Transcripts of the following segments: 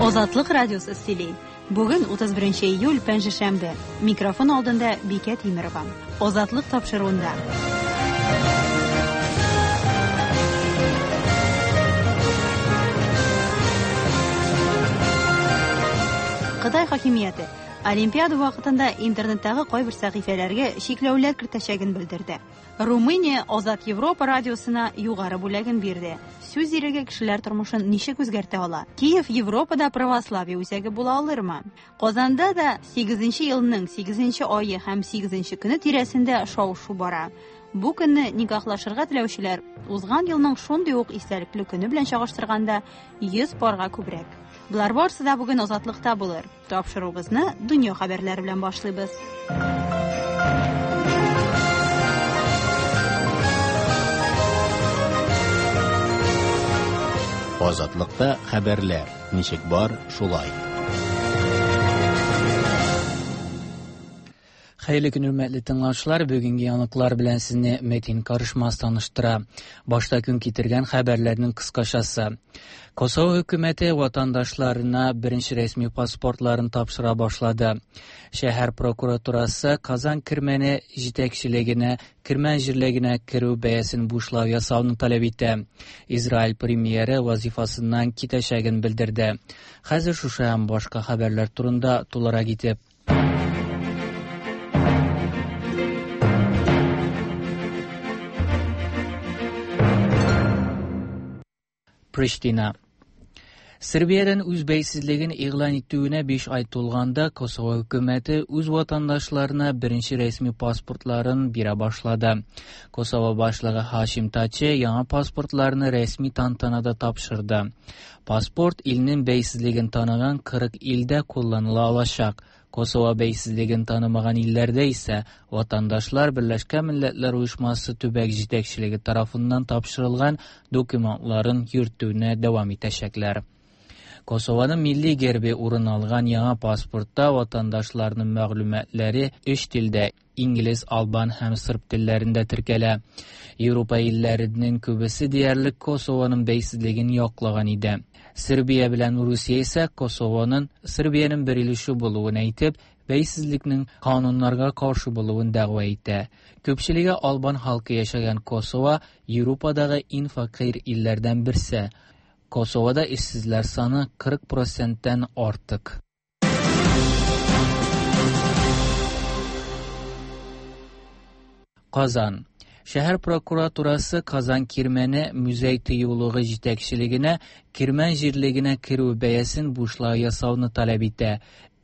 Азатлык радиосы сөйли. Бүген 31 июль пәнҗешәмбе. Микрофон алдында Бикә Тимерова. Азатлык тапшыруында. Кытай хакимияте Олимпиада вакытында интернеттагы кайбер сәхифәләргә чикләүләр кертәчәген белдерде. Румыния Азат Европа радиосына югары бүләген бирде. Сүз иреге кешеләр тормышын ничек үзгәртә ала? Киев Европада православие үзәге була алырмы? Казанда да 8 елның 8 ае һәм 8 көне тирәсендә шау-шу бара. Бу көнне никахлашырга теләүчеләр узган елның шундый ук истәлекле көне белән чагыштырганда 100 парга күбрәк. Болар барысы да бүген Азатлыкта булыр. Тапшыруыбызны дөнья хәбәрләре белән башлыйбыз. Азатлыкта хәбәрләр ничек бар, шулай. Хәерле көн, хөрмәтле тыңлаучылар. Бүгенге яңалыклар белән сезне Метин Карышмас таныштыра. Башта көн китергән хәбәрләрнең кыскачасы. Косово хөкүмәте ватандашларына беренче рәсми паспортларын тапшыра башлады. Шәһәр прокуратурасы Казан Кирмәне җитәкчелегенә Кирмән җирлегенә керү бәясен бушлай ясауны таләп итә. Израиль премьеры вазифасыннан китәчәген белдерде. Хәзер шушы һәм башка хәбәрләр турында тулырак итеп. Приштина. Сербиядән үз бәйсезлеген игълан итүенә 5 ай тулганда Косово хөкүмәте үз ватандашларына беренче рәсми паспортларын бирә башлады. Косово башлыгы Хашим Тачи яңа паспортларны рәсми тантанада тапшырды. Паспорт илнең бәйсезлеген таныган 40 илдә кулланыла алачак. Косово бәйсезлеген танымаган илләрдә исә ватандашлар Берләшкән Милләтләр Оешмасы төбәк җитәкчелеге тарафыннан тапшырылган документларын йөртүне дәвам итәчәкләр. Косованың милли гербе урын алган яңа паспортта ватандашларның мәгълүматлары өч телдә инглиз, албан һәм сырб телләрендә теркәлә. Европа илләренең күбесе диярлек Косованың бәйсезлеген яклаган иде. Сербия белән Русия исә Косованың Сербиянең бер өлеше булуын әйтеп, бәйсезлекнең кануннарга каршы булуын дәгъва итә. Күпчелеге албан халкы яшәгән Косово Европадагы иң фәкыйрь илләрдән берсе. Косовода эшсезләр саны 40%тән артык. Казан. Шәһәр прокуратурасы Казан Кирмәне музей тыюлыгы җитәкчелегенә Кирмән җирлегенә керү бәясен бушлай ясауны таләп итә.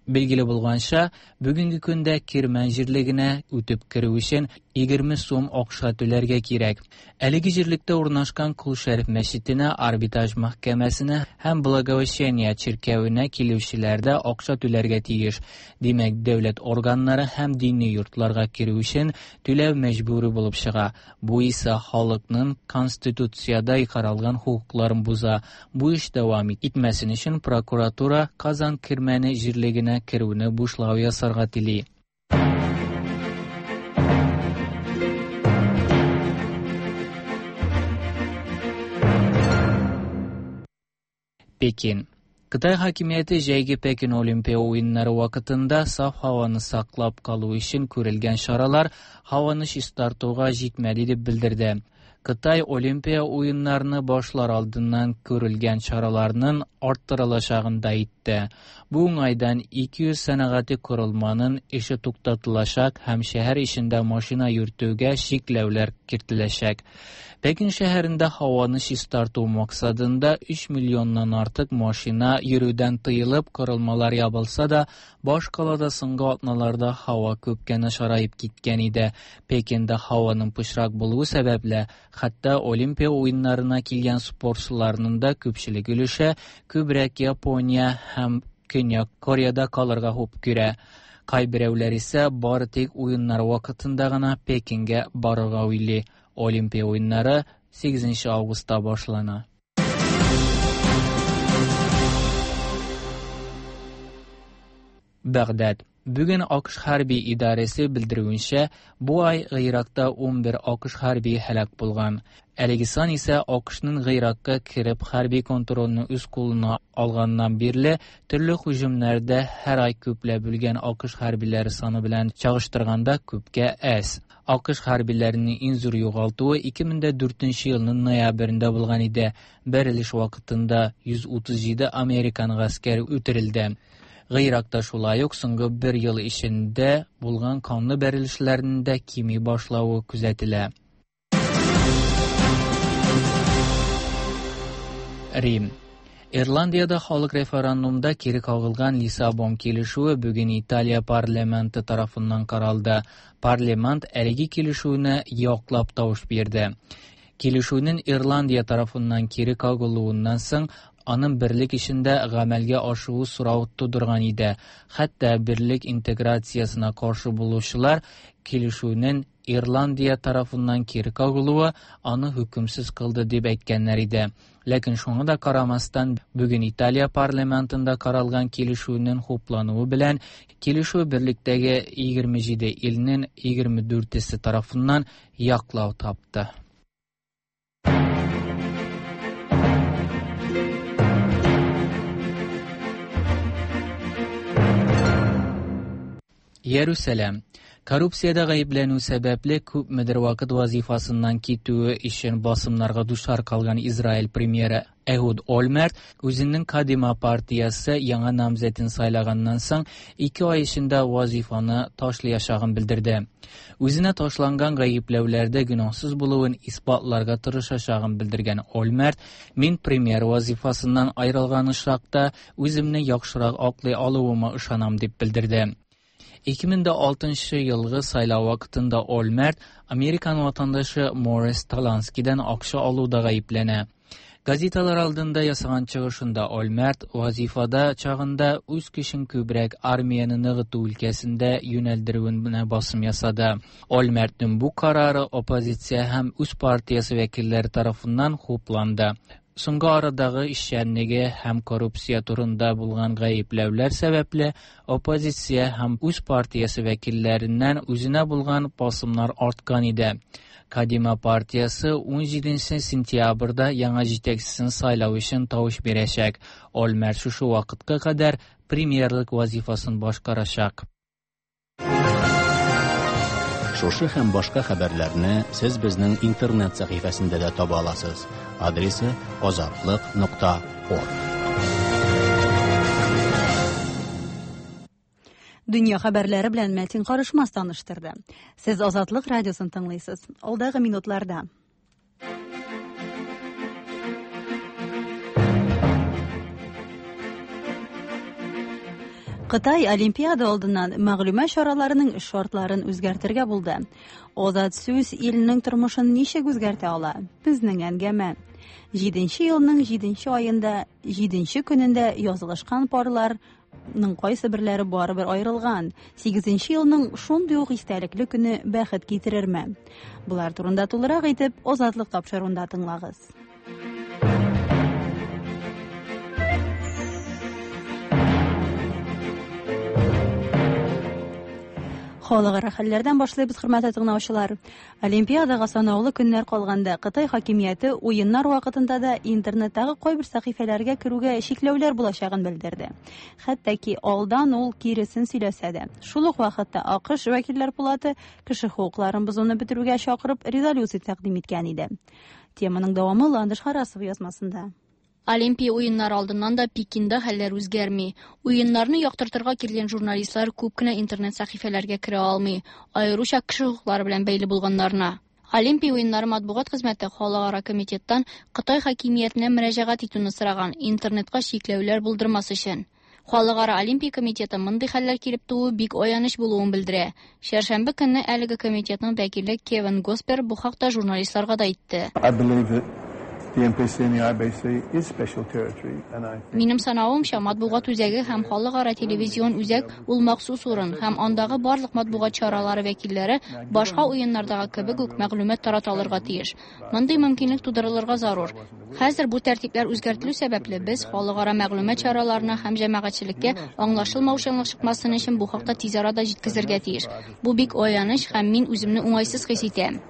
Билгеле булганча, бүгенге көндә Кирмән җирлегенә үтеп керү өчен 20 сум акча түләргә кирәк. Әлеге җирлектә урнашкан Кол Шәриф мәчетенә, Арбитраж мәхкәмәсенә һәм Благовещение чиркәвенә килүчеләр дә акча түләргә тиеш. Димәк, дәүләт органнары һәм дини йортларга керү өчен түләү мәҗбүри булып чыга. Бу исә халыкның конституциядә каралган хокукларын боза. Бу эш дәвам итмәсен өчен прокуратура Казан Кирмәне җирлегенә керүне бушлай ясарга тели. Пекин. Кытай хакимияте җәйге Пекин Олимпия уеннары вакытында саф һаваны саклап калу өчен күрелгән чаралар һаваны чистартуга җитмәде дип белдерде. Кытай Олимпия уеннарны башлар алдыннан күрелгән чараларның арттырылачагын да әйтте. Бу уңайдан 200 сәнәгати корылманың эше туктатылачак һәм шәһәр эчендә машина йөртүгә чикләүләр кертеләчәк. Пекин шәһәрендә һаваны чистарту максатында 3 миллионнан артык машина йөрүдән тыелып, корылмалар ябылса да, баш калада соңгы атналарда һава күпкә начараеп киткән иде. Пекинда һаваның пычрак булуы сәбәпле, хәтта Олимпия уеннарына килгән спортчыларның да күпчелек өлеше күбрәк Япония һәм Көньяк Кореяда калырга хуп күрә. Кайберәүләр исә бары тик уеннар вакытында гына Пекингә барырга уйлый. Олимпия уеннары 8 августта башлана. Бәгъдәд. Бүген АКШ хәрби идарәсе белдерүенчә, бу ай Гыйракта 11 АКШ хәрбие һәлак булган. Әлеге сан исә АКШның Гыйракка кереп хәрби контрольне үз кулына алганнан бирле төрле һөҗүмнәрдә һәр ай күпләп үлгән АКШ хәрбиләре саны белән чагыштырганда күпкә әз. АКШ хәрбиләренең иң зур югалтуы 2004 елның ноябрендә булган иде. Бәрелеш вакытында 137 американ гаскәре үтерелде. Гыйракта шулай ук соңгы бер ел эчендә булган канлы бәрелешләрнең дә кими башлавы күзәтелә. Рим. Ирландиядә халык референдумда кире кагылган Лиссабон килешүе бүген Италия парламенты тарафыннан каралды. Парламент әлеге килешүне яклап тавыш бирде. Килешүнең Ирландия тарафыннан кире кагылуыннан соң аның берлек эчендә гамәлгә ашуы сорау тудырган иде. Хәтта берлек интеграциясенә каршы булучылар килешүнең Ирландия тарафыннан кире кагылуы аны хөкемсез кылды дип әйткәннәр иде. Ләкин шуңа да карамастан, бүген Италия парламентында каралган килешүнең хуплануы белән килешү берлектәге 27 илнең 24-се тарафыннан яклау тапты. Иерусалим. Коррупциядә гаепләнү сәбәпле күпмедер вакыт вазифасыннан китүе өчен басымнарга дучар калган Израиль премьеры Эхуд Ольмерт үзенең Кадима партиясе яңа намзәтен сайлаганнан соң 2 ай эчендә вазифаны ташлаячагын белдерде. Үзенә ташланган гаепләүләрдә гөнаһсыз булуын исбатларга тырышачагын белдергән Ольмерт, мин премьер вазифасыннан аерылган очракта үземне яхшырак аклый алуыма ышанам дип белдерде. 2006 елгы сайлау вакытында Ольмерт Американ ватандашы Морис Таланскийдан акча алуда гаепләнә. Газеталар алдында ясаган чыгышында Ольмерт вазифада чагында үз көчен күбрәк армияне ныгыту өлкәсендә юнәлдерүенә басым ясады. Ольмертның бу карары оппозиция һәм үз партиясе вәкилләре тарафыннан хупланды. Соңгы арадагы эшчәнлеге һәм коррупция турында булган гаепләүләр сәбәпле оппозиция һәм үз партиясе вәкилләреннән үзенә булган басымнар арткан иде. Кадима партиясе 17 сентябрьдә яңа җитәкчесен сайлау өчен тавыш бирәчәк. Ольмерт шушы вакытка кадәр премьерлык вазифасын башкарачак. Шушы һәм башка хәбәрләрне сез безнең интернет сәхифәсендә дә таба аласыз. Адресы azatliq.org. Дөнья хәбәрләре белән Мәтин Карышмас таныштырды. Сез Азатлык радиосын тыңлыйсыз. Алдагы минутларда. Кытай Олимпиада алдыннан мәгълүмат чараларының шартларын үзгәртергә булды. Азат сүз илнең тормышын ничек үзгәртә ала? Безнең әңгәмә. 7 елның 7 аенда, 7 көнендә язылышкан парларның кайсы берләре барыбер аерылган. 8 елның шундый ук истәлекле көне бәхет китерерме? Булар турында тулырак итеп Азатлык тапшыруында тыңлагыз. Халыкара хәлләрдән башлыйбыз, хөрмәтле тыңлаучылар. Олимпиадага санаулы көннәр калганда Кытай хакимияте уеннар вакытында да интернеттагы кайбер сәхифәләргә керүгә чикләүләр булачагын белдерде. Хәтта ки алдан ул киресен сөйләсә дә. Шул ук вакытта АКШ вәкилләр палаты кеше хокукларын бозуны бетерүгә чакырып резолюция тәкъдим иткән иде. Теманың дәвамы Ландыш Харасова язмасында. Олимпия уеннары алдыннан да Пекинда хәлләр үзгәрми. Уеннарны яктыртырга килгән журналистлар күп кенә интернет сәхифәләргә керә алмый, аеруча кеше хокуклары белән бәйле булганнарына. Олимпия уеннары матбугат хезмәте халыкара комитеттан Кытай хакимиятенә мөрәҗәгать итүне сораган, интернетка чикләүләр булдырмас өчен. Халыкара Олимпия комитеты мондый хәлләр килеп тууы бик аяныч булуын белдерә. Чәршәмбе көнне әлеге комитетның вәкиле Кевин Госпер бу хакта журналистларга да әйтте. I believe that Минем санавымча, матбугат үзәге һәм халыкара телевизион үзәк ул махсус урын һәм андагы барлык матбугат чаралары вәкилләре башка уеннардагы кебек үк мәгълүмат тарата алырга тиеш. Мондый мөмкинлек тудырылырга зарур. Хәзер бу тәртипләр үзгәртелү сәбәпле, без халыкара мәгълүмат чараларына һәм җәмәгатьчелеккә аңлашылмаучанлык чыкмасын өчен бу хакта тиз арада җиткезергә тиеш. Бу бик аяныч һәм мин үземне уңайсыз хис итәм.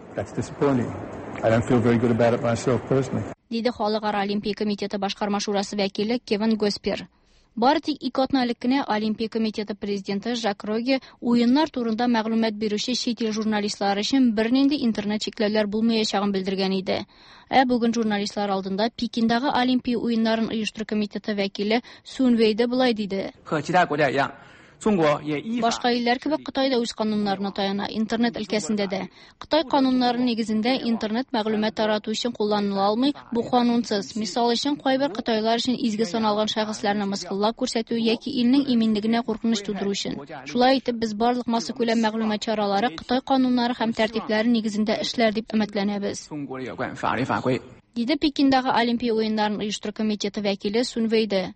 Диде Халыкара Олимпия комитеты башкарма шурасы вәкиле Кевин Госпер. Бары тик ике атна элек кенә Олимпия комитеты президенты Жак Роге уеннар турында мәгълүмат бирүче чит ил журналистлары өчен бернинди интернет чикләүләр булмаячагын белдергән иде. Ә бүген журналистлар алдында Пекиндагы Олимпия уеннарын оештыру комитеты вәкиле Сун Вейде болай диде. Башка илләр кебек Кытай да үз кануннарына таяна, интернет өлкәсендә дә. Кытай кануннары нигезендә интернет мәгълүмат тарату өчен кулланыла алмый, бу канунсыз. Мисал өчен, кайбер кытайлар өчен изге саналган шәхесләрне мыскыллап күрсәтү яки илнең иминлегенә куркыныч тудыру өчен. Шулай итеп, без барлык массакүләм мәгълүмат чаралары Кытай кануннары һәм тәртипләре нигезендә эшләр дип өметләнәбез. Диде Пекиндагы Олимпия уеннарын оештыру комитеты вәкиле Сун Вейде.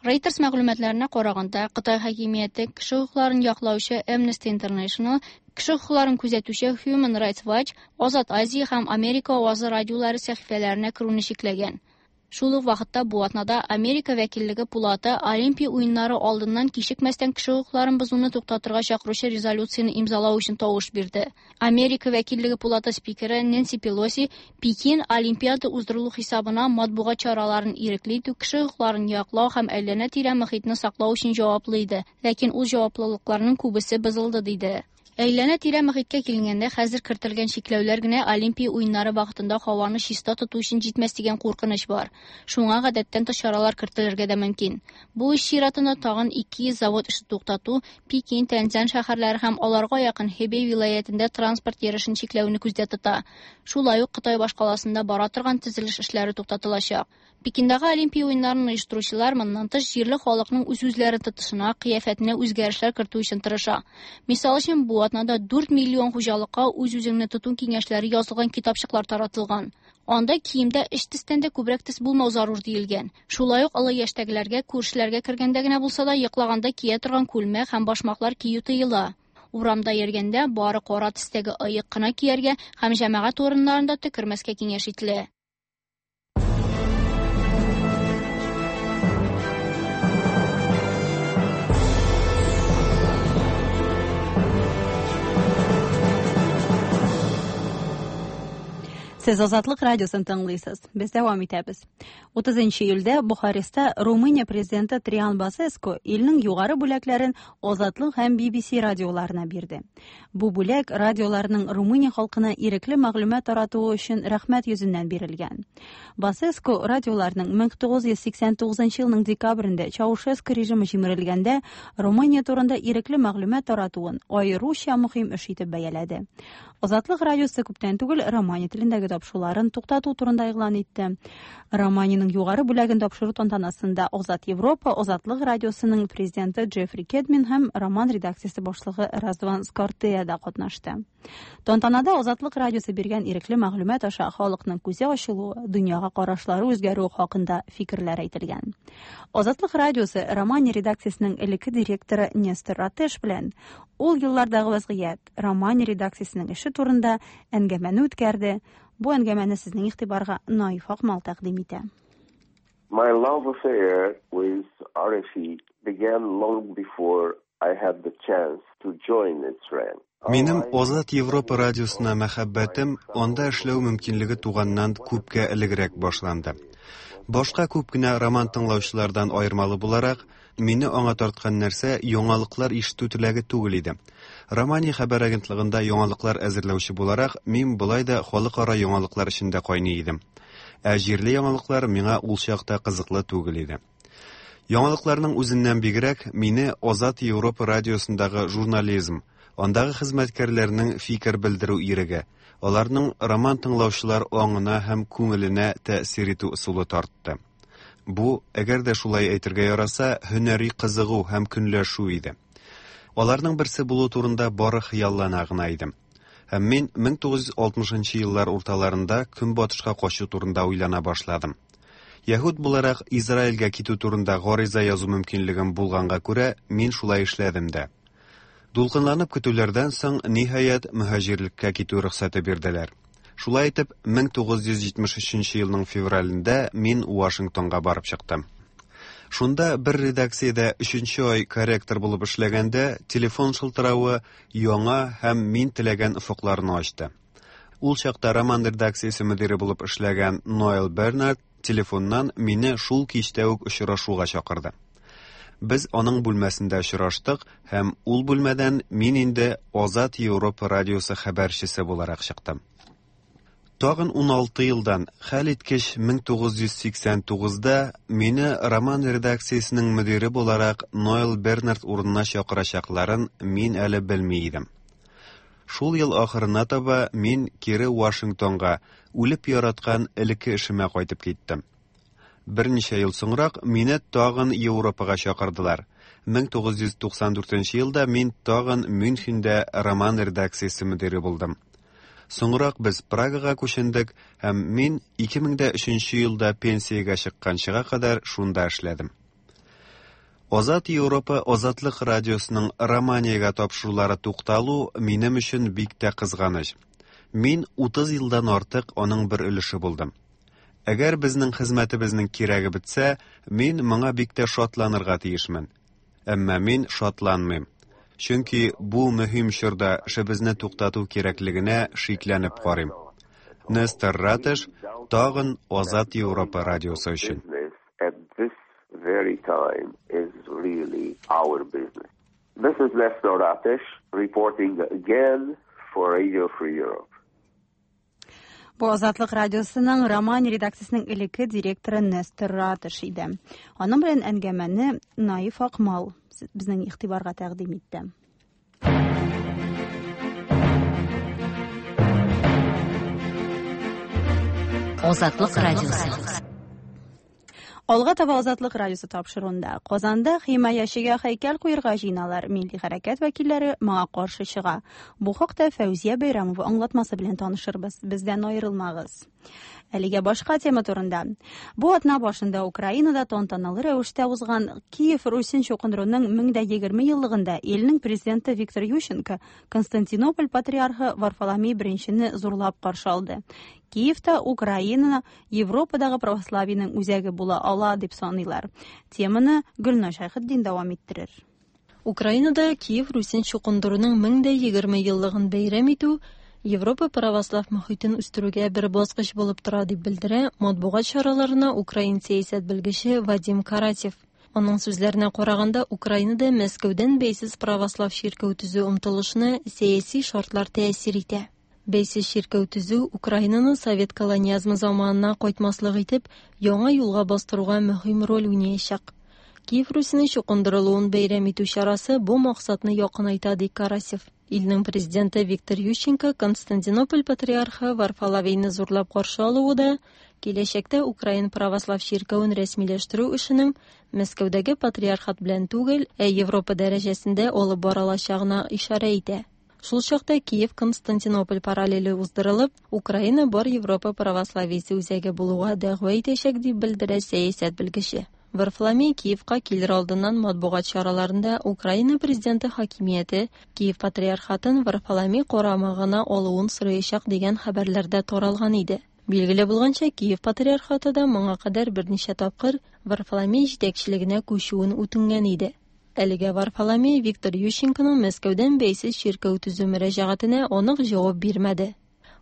Reuters мәгълүматларына караганда, Кытай хакимияте кеше хокукларын яклаучы Amnesty International, кеше хокукларын күзәтүче Human Rights Watch, Азат Азия һәм Америка авазы радиолары сәхифәләренә керүне чикләгән. Шул ук вакытта бу атнада Америка вәкиллеге пулаты Олимпия уеннары алдыннан кичекмәстән кеше хокукларын бозуны туктатырга чакыручы резолюцияне имзалау өчен тавыш бирде. Америка вәкиллеге пулаты спикеры Нэнси Пелоси Пекин Олимпиада уздырылу хисабына матбугат чараларын ирекле итү, кеше хокукларын яклау һәм әйләнә-тирә мохитне саклау өчен җаваплы иде. Ләкин ул җаваплылыкларның күбесе бозылды, диде. Әйләнә-тирә мохиткә килгәндә, хәзер кертелгән чикләүләр генә Олимпия уеннары вакытында һаваны чиста тоту өчен җитмәс дигән куркыныч бар. Шуңа гадәттән тыш чаралар кертелергә дә мөмкин. Бу эш чиратында тагын 200 завод эше туктату, Пекин, Тяньцзинь шәһәрләре һәм аларга якын Хэбэй вилаятендә транспорт йөрешен чикләүне күздә тота. Шулай ук Кытай башкаласында бара торган төзелеш эшләре туктатылачак. Пекиндагы Олимпия уеннарын оештыручылар моннан тыш җирле халыкның үз-үзләрен тотышына, кыяфәтенә үзгәрешләр кертү өчен тырыша. Мисал өчен, бу атнада 4 миллион хуҗалыкка үз-үзеңне тоту киңәшләре язылган китапчыклар таратылган. Анда киемдә өч төстән дә күбрәк төс булмау зарур диелгән. Шулай ук олы яшьтәгеләргә күршеләргә кергәндә генә булса да йоклаганда кия торган күлмәк һәм башмаклар кию тыела. Урамда йөргәндә бары кара төстәге ыек кына кияргә һәм җәмәгать урыннарында төкермәскә киңәш ителә. Сез Азатлык радиосын тыңлыйсыз. Без дәвам итәбез. 30 июльдә Бухареста Румыния президенты Триан Басеску илнең югары бүләкләрен Азатлык һәм BBC радиоларына бирде. Бу бүләк радиоларның Румыния халкына ирекле мәгълүмат таратуы өчен рәхмәт йөзеннән бирелгән. Басеску радиоларның 1989 елның декабрендә Чаушеску режимы җимерелгәндә Румыния турында ирекле мәгълүмат таратуын аеруча мөһим эш итеп бәяләде. Азатлык радиосы күптән түгел романи телендәге тапшыруларын туктату турында игълан итте. Романиянең югары бүләген тапшыру тантанасында Азат Европа Азатлык радиосының президенты Джеффри Кедмин һәм роман редакциясе башлыгы Разван Скортея да катнашты. Тантанада Азатлык радиосы биргән ирекле мәгълүмат аша халыкның күзе ачылуы, дөньяга карашлары үзгәрүе хакында фикерләр әйтелгән. Азатлык радиосы Романия редакциясенең элекке директоры Нестор Ратеш белән ул еллардагы вазгыять, Романия редакциясенең эше турында әңгәмәне үткәрде. Бу әңгәмәне сезнең игътибарга Наиф Акмал тәкъдим итә. My love affair with RFE began long before I had the chance to join its ranks. Минем Азат Европа радиосына мәхәббәтем анда эшләү мөмкинлеге туганнан күпкә элегрәк башланды. Башка күп кенә роман тыңлаучылардан аермалы буларак, мине аңа тарткан нәрсә яңалыклар ишетү теләге түгел иде. Романия хәбәр агентлыгында яңалыклар әзерләүче буларак, мин болай да халыкара яңалыклар эчендә кайный идем. Ә җирле яңалыклар миңа ул чакта кызыклы түгел иде. Яңалыкларның үзеннән бигрәк мине Азат Европа радиосындагы журнализм, андагы хезмәткәрләрнең фикер белдерү иреге, аларның роман тыңлаучылар аңына һәм күңеленә тәэсир итү ысулы тартты. Бу, әгәр дә шулай әйтергә яраса, һөнәри кызыгу һәм көнләшү иде. Аларның берсе булу турында бары хыяллана гына идем. Һәм мин 1960 нчы еллар урталарында Көнбатышка качу турында уйлана башладым. Яһүд буларак Израильгә китү турында гариза язу мөмкинлегем булганга күрә, мин шулай эшләдем дә. Дулкынланып көтүләрдән соң, ниһаять, мөһаҗирлеккә китү рөхсәте бирделәр. Шулай итеп, 1973 елның февралендә мин Вашингтонга барып чыктым. Шунда бер редакциядә өченче ай корректор булып эшләгәндә, телефон шылтыравы яңа һәм мин теләгән офыкларны ачты. Ул чакта Роман редакциясе мөдире булып эшләгән Ноэл Бернард телефоннан мине шул кичтә үк очрашуга чакырды. Без аның бүлмәсендә очраштык һәм ул бүлмәдән мин инде Азат Европа радиосы хәбәрчесе буларак чыктым. Тагын 16 елдан, хәлиткеч 1989-да мине Роман редакциясенең мөдире буларак Ноэл Бернард урынына чакырачакларын мин әле белми идем. Шул ел ахырына таба мин кире Вашингтонга, үлеп яраткан элекке эшемә кайтып киттем. Берничә ел соңрак мине тагын Европага чакырдылар. 1994 елда мин тагын Мюнхенда Роман редакциясе мөдире булдым. Соңрак без Прагага күчендек һәм мин 2003 елда пенсиягә чыкканчыга кадәр шунда эшләдем. Азат Европа Азатлык радиосының Романиягә тапшырулары тукталу минем өчен бик тә кызганыч. Мин 30 елдан артык аның бер өлеше булдым. Әгәр безнең хезмәтебезнең кирәге бетсә, мин моңа бик тә шатланырга тиешмен. Әмма мин шатланмыйм. Чөнки бу мөһим чорда эшебезне туктату кирәклегенә шикләнеп карыйм. Нестор Ратыш, тагын Азат Европа радиосы өчен. At this very time is really our business. This is Nestor Ratish reporting again for Radio Free Europe. Бу Азатлык радиосының Роман редакциясенең элекке директоры Нестор Ратыш иде. Аның белән әңгәмәне Наиф Акмал безнең игътибарга тәкъдим итте. Азатлык радиосы. Алга таба Азатлык радиосы тапшыруында Казанда химаячыга һәйкәл куярга җыеналар. Милли хәрәкәт вәкилләре моңа каршы чыга. Бу хакта Фәүзия Бәйрәмова аңлатмасы белән танышырбыз. Бездән аерылмагыз. Әлегә башка тема турында. Бу атна башында Украинада тантаналы рәвештә узган Киев Русен чукындыруның 1020 еллыгында илнең президенты Виктор Ющенко Константинополь патриархы Варфоломей I зурлап каршы алды. Киевта Украина Европадагы православиенең үзәге була ала дип саныйлар. Теманы Гөлназ Шәйхетдин дәвам иттерер. Украинада Киев Русен чукындыруның 1020 еллыгын бәйрәм итү Европа православ мохитен үстерүгә бер баскыч булып тора дип белдерә матбугат чараларына украин сәясәт белгече Вадим Каратев. Аның сүзләренә караганда, Украинада Мәскәүдән бәйсез православ чиркәү төзү омтылышына сәяси шартлар тәэсир итә. Бәйсез чиркәү төзү Украинаны совет колониазмы заманына кайтмаслык итеп, яңа юлга бастыруга мөһим роль уйнаячак. Киев Русенең чукындырылуын бәйрәм итү чарасы бу максатны якынайта, ди Карасев. Илнең президенты Виктор Ющенко Константинополь патриархы Варфоломейны зурлап каршы алуы да киләчәктә Украин православ чиркәвен рәсмиләштерү эшенең Мәскәүдәге патриархат белән түгел, ә Европа дәрәҗәсендә алып барылачагына ишарә итә. Шул чакта Киев-Константинополь параллеле уздырылып, Украина бар Европа православиесе үзәге булуга дәгъва итәчәк дип белдерә сәясәт белгече. Варфоломей Киевка килер алдыннан матбугат чараларында Украина президенты хакимияте Киев патриархатын Варфоломей карамагына алуын сораячак дигән хәбәрләрдә таралган иде. Билгеле булганча, Киев патриархаты да моңа кадәр берничә тапкыр Варфоломей җитәкчелегенә күчүен үтенгән иде. Әлегә Варфоломей Виктор Ющенконың Мәскәүдән бәйсез чиркәү төзү мөрәҗәгатенә анык җавап бирмәде.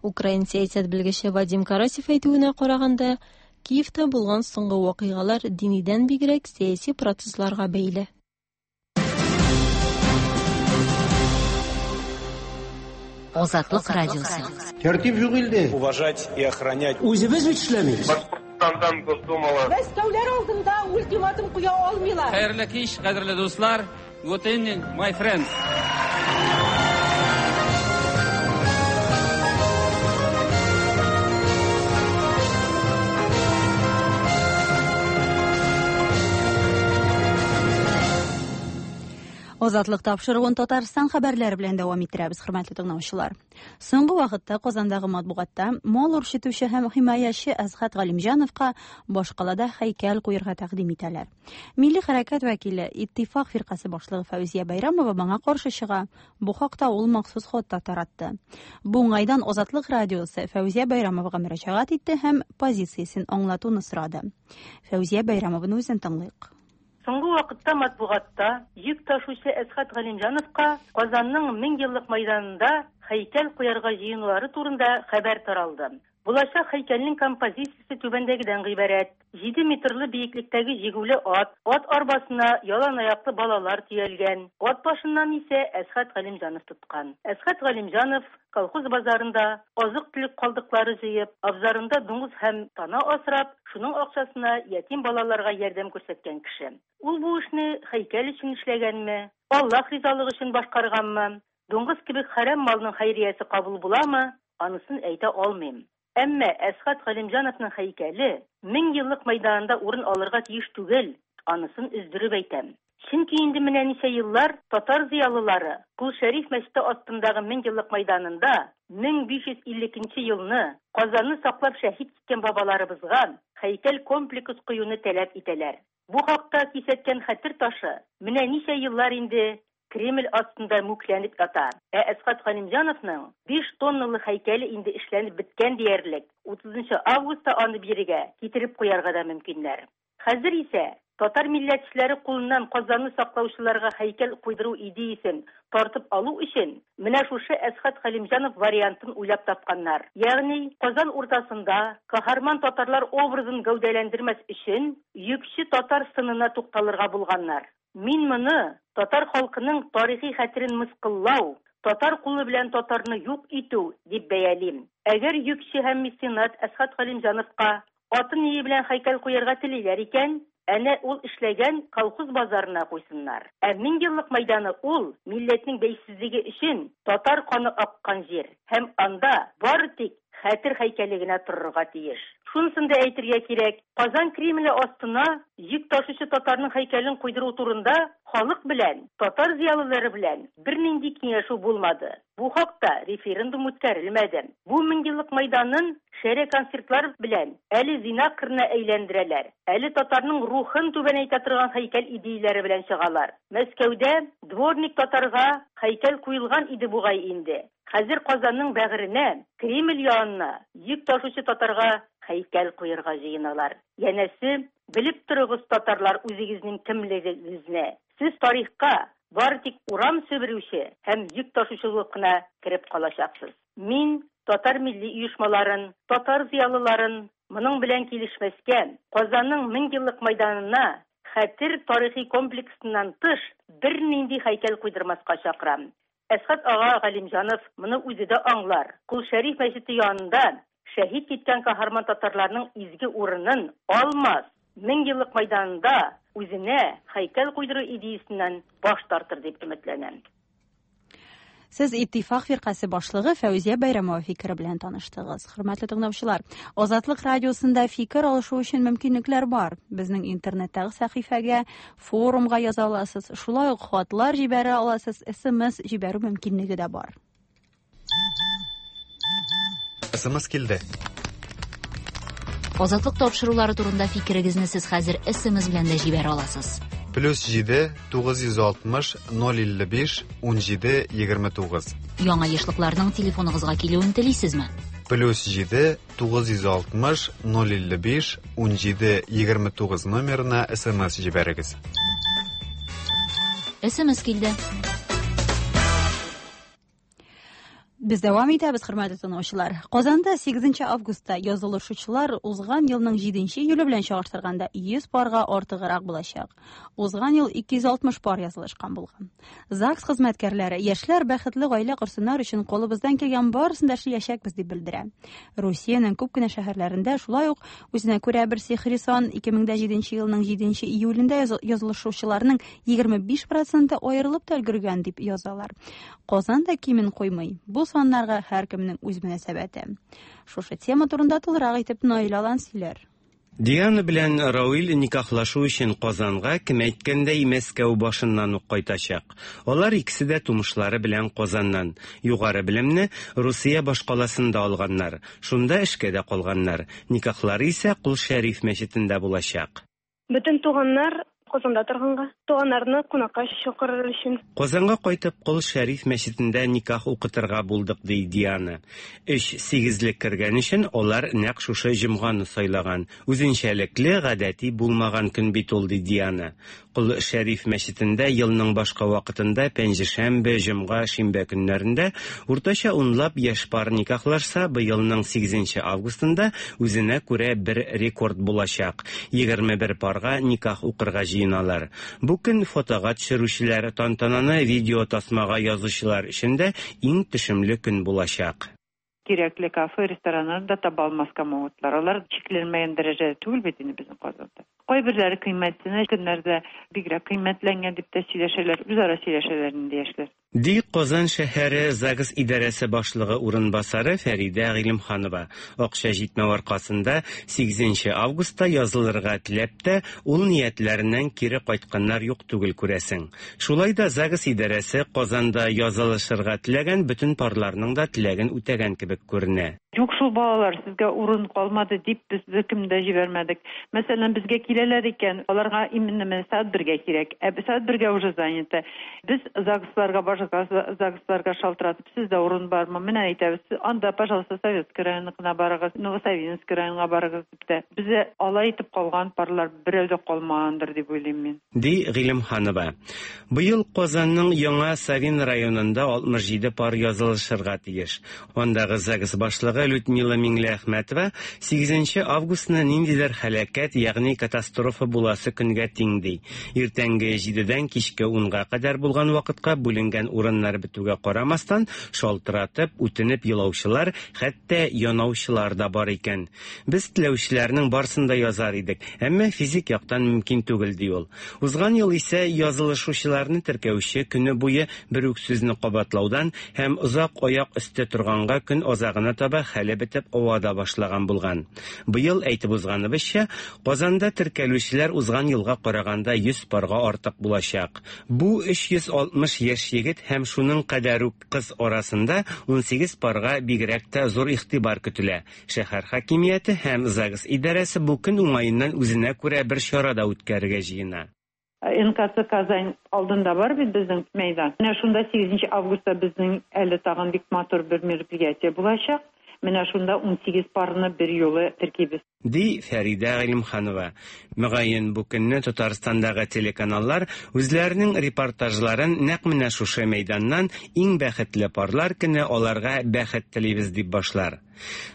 Украин сәясәт белгече Вадим Карасев әйтүенә караганда, Киевта булган соңгы вакыйгалар динидән бигрәк сәяси процессларга бәйле. Азатлык радиосы. Тәртип юк илдә. Уважать и охранять. Үзебез бит эшләмибез. Башкортстандан Госдумала. Мәскәүләр алдында ультиматум куя алмыйлар. Хәерле кич, кадерле дуслар. Good evening, my friends. Азатлык тапшыруын Татарстан хәбәрләре белән дәвам иттерәбез, хөрмәтле тыңлаучылар. Соңгы вакытта Казандагы матбугатта мал үрчетүче һәм химаячы Әсхәт Галимҗановка башкалада һәйкәл куерга тәкъдим итәләр. Милли хәрәкәт вәкиле, Иттифак фиркасе башлыгы Фәүзия Бәйрәмова моңа каршы чыга. Бу хакта ул махсус хат та таратты. Бу уңайдан Азатлык радиосы Фәүзия Бәйрәмовага мөрәҗәгать итте һәм позициясен аңлатуны сорады. Фәүзия Бәйрәмованы үзен тыңлыйк. Соңгы вакытта матбугатта йөк ташучы Әсхәт Галимҗановка Казанның 1000 еллык мәйданында һәйкәл куярга җыенулары турында хәбәр таралды. Булачак һәйкәлнең композициясе түбәндәгедән гыйбарәт. 7 метрлы биеклектәге җигүле ат, ат арбасына ялан аяклы балалар төялгән. Ат башыннан исә Әсхәт Галимҗанов тоткан. Әсхәт Галимҗанов колхоз базарында азык-төлек калдыклары җыеп, абзарында дуңгыз һәм тана асрап, шуның акчасына ятим балаларга ярдәм күрсәткән кеше. Ул бу эшне һәйкәл өчен эшләгәнме, Аллаһ ризалыгы өчен башкарганмы, дуңгыз кебек хәрам малның хәйриясе кабул буламы, анысын әйтә алмыйм. Әмма Әсхәт Галимҗановның һәйкәле 1000 еллык мәйданында урын алырга тиеш түгел, анысын өздереп әйтәм. Чөнки инде менә ничә еллар татар зыялылары Кол Шәриф мәчете астындагы 1000 еллык мәйданында 1552 нче елны Казанны саклап шәһит киткән бабаларыбызга һәйкәл комплекс куюны таләп итәләр. Бу хакта кисәткән хәтер ташы менә ничә еллар инде Кремль астында мүкләнеп ята. Ә Әсхәт Галимҗановның 5 тонналы һәйкәле инде эшләнеп беткән диярлек. 30 августта аны бирегә китереп куярга да мөмкиннәр. Хәзер исә татар милләтчеләре кулыннан Казанны саклаучыларга һәйкәл куйдыру идеясен тартып алу өчен менә шушы Әсхәт Галимҗанов вариантын уйлап тапканнар. Ягъни Казан уртасында каһарман татарлар образын гәүдәләндермәс өчен йөкче татар сынына тукталырга булганнар. Мин моны татар халкының тарихи хәтерен мыскыллау, татар кулы белән татарны юк итү дип бәялим. Әгәр йөкче һәм меценат Әсхәт Галимҗановка аты ние белән һәйкәл куярга телиләр икән, әнә ул эшләгән колхоз базарына куйсыннар. Ә 1000 еллык мәйданы ул милләтнең бәйсезлеге өчен татар каны аккан җир һәм анда бары тик хәтер һәйкәле генә торырга тиеш. Шунысын да әйтергә кирәк, Казан Кремле астына йөк ташучы татарның һәйкәлен куйдыру турында халык белән, татар зыялылары белән бернинди киңәшү булмады. Бу хакта референдум үткәрелмәде. Бу 1000 еллык мәйданын шәрә концертлар белән әле зина кырына әйләндерәләр, әле татарның рухын түбәнәйтә торган һәйкәл идеяләре белән чыгалар. Мәскәүдә дворник татарга һәйкәл куелган иде бугай инде. Хәзер Казанның бәгыренә, Кремль янына йөк ташучы татарга һәйкәл куярга җыеналар. Янәсе, белеп торыгыз, татарлар, үзегезнең кемлегегезне. Сез тарихка бары тик урам себерүче һәм йөк ташучы булып кына кереп калачаксыз. Мин татар милли оешмаларын, татар зыялыларын моның белән килешмәскә, Казанның 1000 еллык мәйданына хәтер тарихи комплексыннан тыш бернинди һәйкәл куйдырмаска чакырам. Әсхәт ага Галимҗанов моны үзе дә аңлар. Кол Шәриф мәчете янында шәһит киткән каһарман татарларның изге урынын алмас, 1000 еллык мәйданында үзенә һәйкәл куйдыру идеясеннән баш тартыр дип өметләнәм. Сез Иттифак фиркасе башлыгы Фәүзия Бәйрәмова фикере белән таныштыгыз. Хөрмәтле тыңлаучылар, Азатлык радиосында фикер алышу өчен мөмкинлекләр бар. Безнең интернеттагы сәхифәгә, форумга яза аласыз, шулай ук хатлар җибәрә аласыз, СМС җибәрү мөмкинлеге дә бар. СМС килде. Азатлык тапшырулары турында фикерегезне сез хәзер СМС белән дә җибәрә аласыз. Плюс 7 960 055 17 29. Яңа ешлыкларның телефоныгызга килүен телисезме? Плюс 7 960 055 17 29 номерына СМС җибәрегез. СМС килде. Без дәвам итәбез, хөрмәтле тыңлаучылар. Казанда 8 августта язылышучылар узган елның 7 июле белән чагыштырганда 100 парга артыграк булачак. Узган ел 260 пар язылышкан булган. ЗАГС хезмәткәрләре яшьләр бәхетле гаилә корсыннар өчен кулыбыздан килгән барысын да эшләячәкбез дип белдерә. Русиянең күп кенә шәһәрләрендә шулай ук үзенә күрә бер сихри сан 2007 елның 7 июлендә язылышучыларның 25 проценты аерылып та өлгергән дип язалар. Казан да кимен куймый. Бу саннарга һәркемнең үз мөнәсәбәте. Шушы тема турында тулырак итеп Наил Алан сөйләр. Диана белән Рауил никахлашу өчен Казанга, кем әйткәндәй, Мәскәү башыннан ук кайтачак. Алар икесе дә тумышлары белән Казаннан. Югары белемне Русия башкаласында алганнар. Шунда эшкә дә калганнар. Никахлары исә Кол Шәриф мәчетендә булачак. Бөтен туганнар Казанда торганга, туганнарны кунакка чакырыр өчен. Казанга кайтып, Кол Шәриф мәчетендә никах укытырга булдык, ди Диана. Өч сигезлек кергән өчен алар нәкъ шушы җомганы сайлаган. Үзенчәлекле, гадәти булмаган көн бит ул, ди Диана. Кол Шәриф мәчетендә елның башка вакытында пәнҗешәмбе, җомга, шимбә көннәрендә уртача унлап яшь пар никахлашса, быелның сигезенче августында үзенә күрә бер рекорд булачак, 21 парга никах укырга җыеналар. Бу көн фотога төшерүчеләр, тантананы видеотасмага язучылар өчен дә иң төшемле көн булачак. Кирәкле кафе, рестораннарны да таба алмаска могутлар. Алар чикләнмәгән дәрәҗәдә түгел бит инде безнең Казанда. Кайберләре кыйммәтсенә, көннәрдә бигрәк кыйммәтләнгән дип тә сөйләшәләр, үзара сөйләшәләр инде яшьләр. Ди Казан шәһәре загс идарәсе башлыгы урынбасары Фәридә Гыйлемханова. Акча җитмәү аркасында сигезенче августта язылырга теләп тә, ул ниятләреннән кире кайтканнар юк түгел, күрәсең. Шулай да загс идарәсе Казанда язылышырга теләгән бөтен парларның да теләген үтәгән кебек күренә. Юк шул, балалар, сезгә урын калмады дип без беркемне дә җибәрмәдек. Мәсәлән, безгә киләләр икән, аларга именно менә сәгать бергә кирәк. Ә сәгать бергә уже занято. Без ЗАГСларга, башка ЗАГСларга шалтыратып, сездә урын бармы? Менә әйтәбез, анда, пожалуйста, Советский районыныкына барыгыз, Новосавинский районга барыгыз дип тә. Бездә алай итеп калган парлар берәү дә калмагандыр дип уйлыйм мин. Ди Гыйлемханова. Быел Казанның Яңа Савин районында 67 пар язылышырга тиеш. Андагы загс башлыгы Людмила Миңлеәхмәтова сигезенче августны ниндидер һәлакәт, ягъни катастрофа буласы көнгә тиң ди. Иртәнге җидедән кичке унга кадәр булган вакытка бүленгән урыннар бетүгә карамастан, шалтыратып, үтенеп елаучылар, хәтта янаучылар да бар икән. Без теләүчеләрнең барсын да язар идек, әмма физик яктан мөмкин түгел, ди ул. Узган ел исә язылышучыларны теркәүче көне буе бер үк сүзне кабатлаудан һәм озак аяк өсте торганга көн азагына таба хәле бетеп ава да башлаган булган. Быел, әйтеп узганыбызча, Казанда теркәлүчеләр узган елга караганда 100 парга артык булачак. Бу 360 яшь егет һәм шуның кадәр үк кыз арасында 18 парга бигрәк тә зур игътибар көтелә. Шәһәр хакимияте һәм загс идарәсе бу көн уңаеннан үзенә күрә бер чара да үткәрергә җыена. НКЦ Казань алдында бар бит безнең мәйдан. Менә шунда сигезенче августта безнең әле тагын бик матур бер мероприятие булачак. Менә шунда 18 парны бер юлы теркибез. Ди Фәридә Гыйлемханова. Мөгаен, бу көнне Татарстандагы телеканаллар үзләренең репортажларын нәкъ менә шушы мәйданнан Иң бәхетле парлар көне, аларга бәхет телибез дип башлар.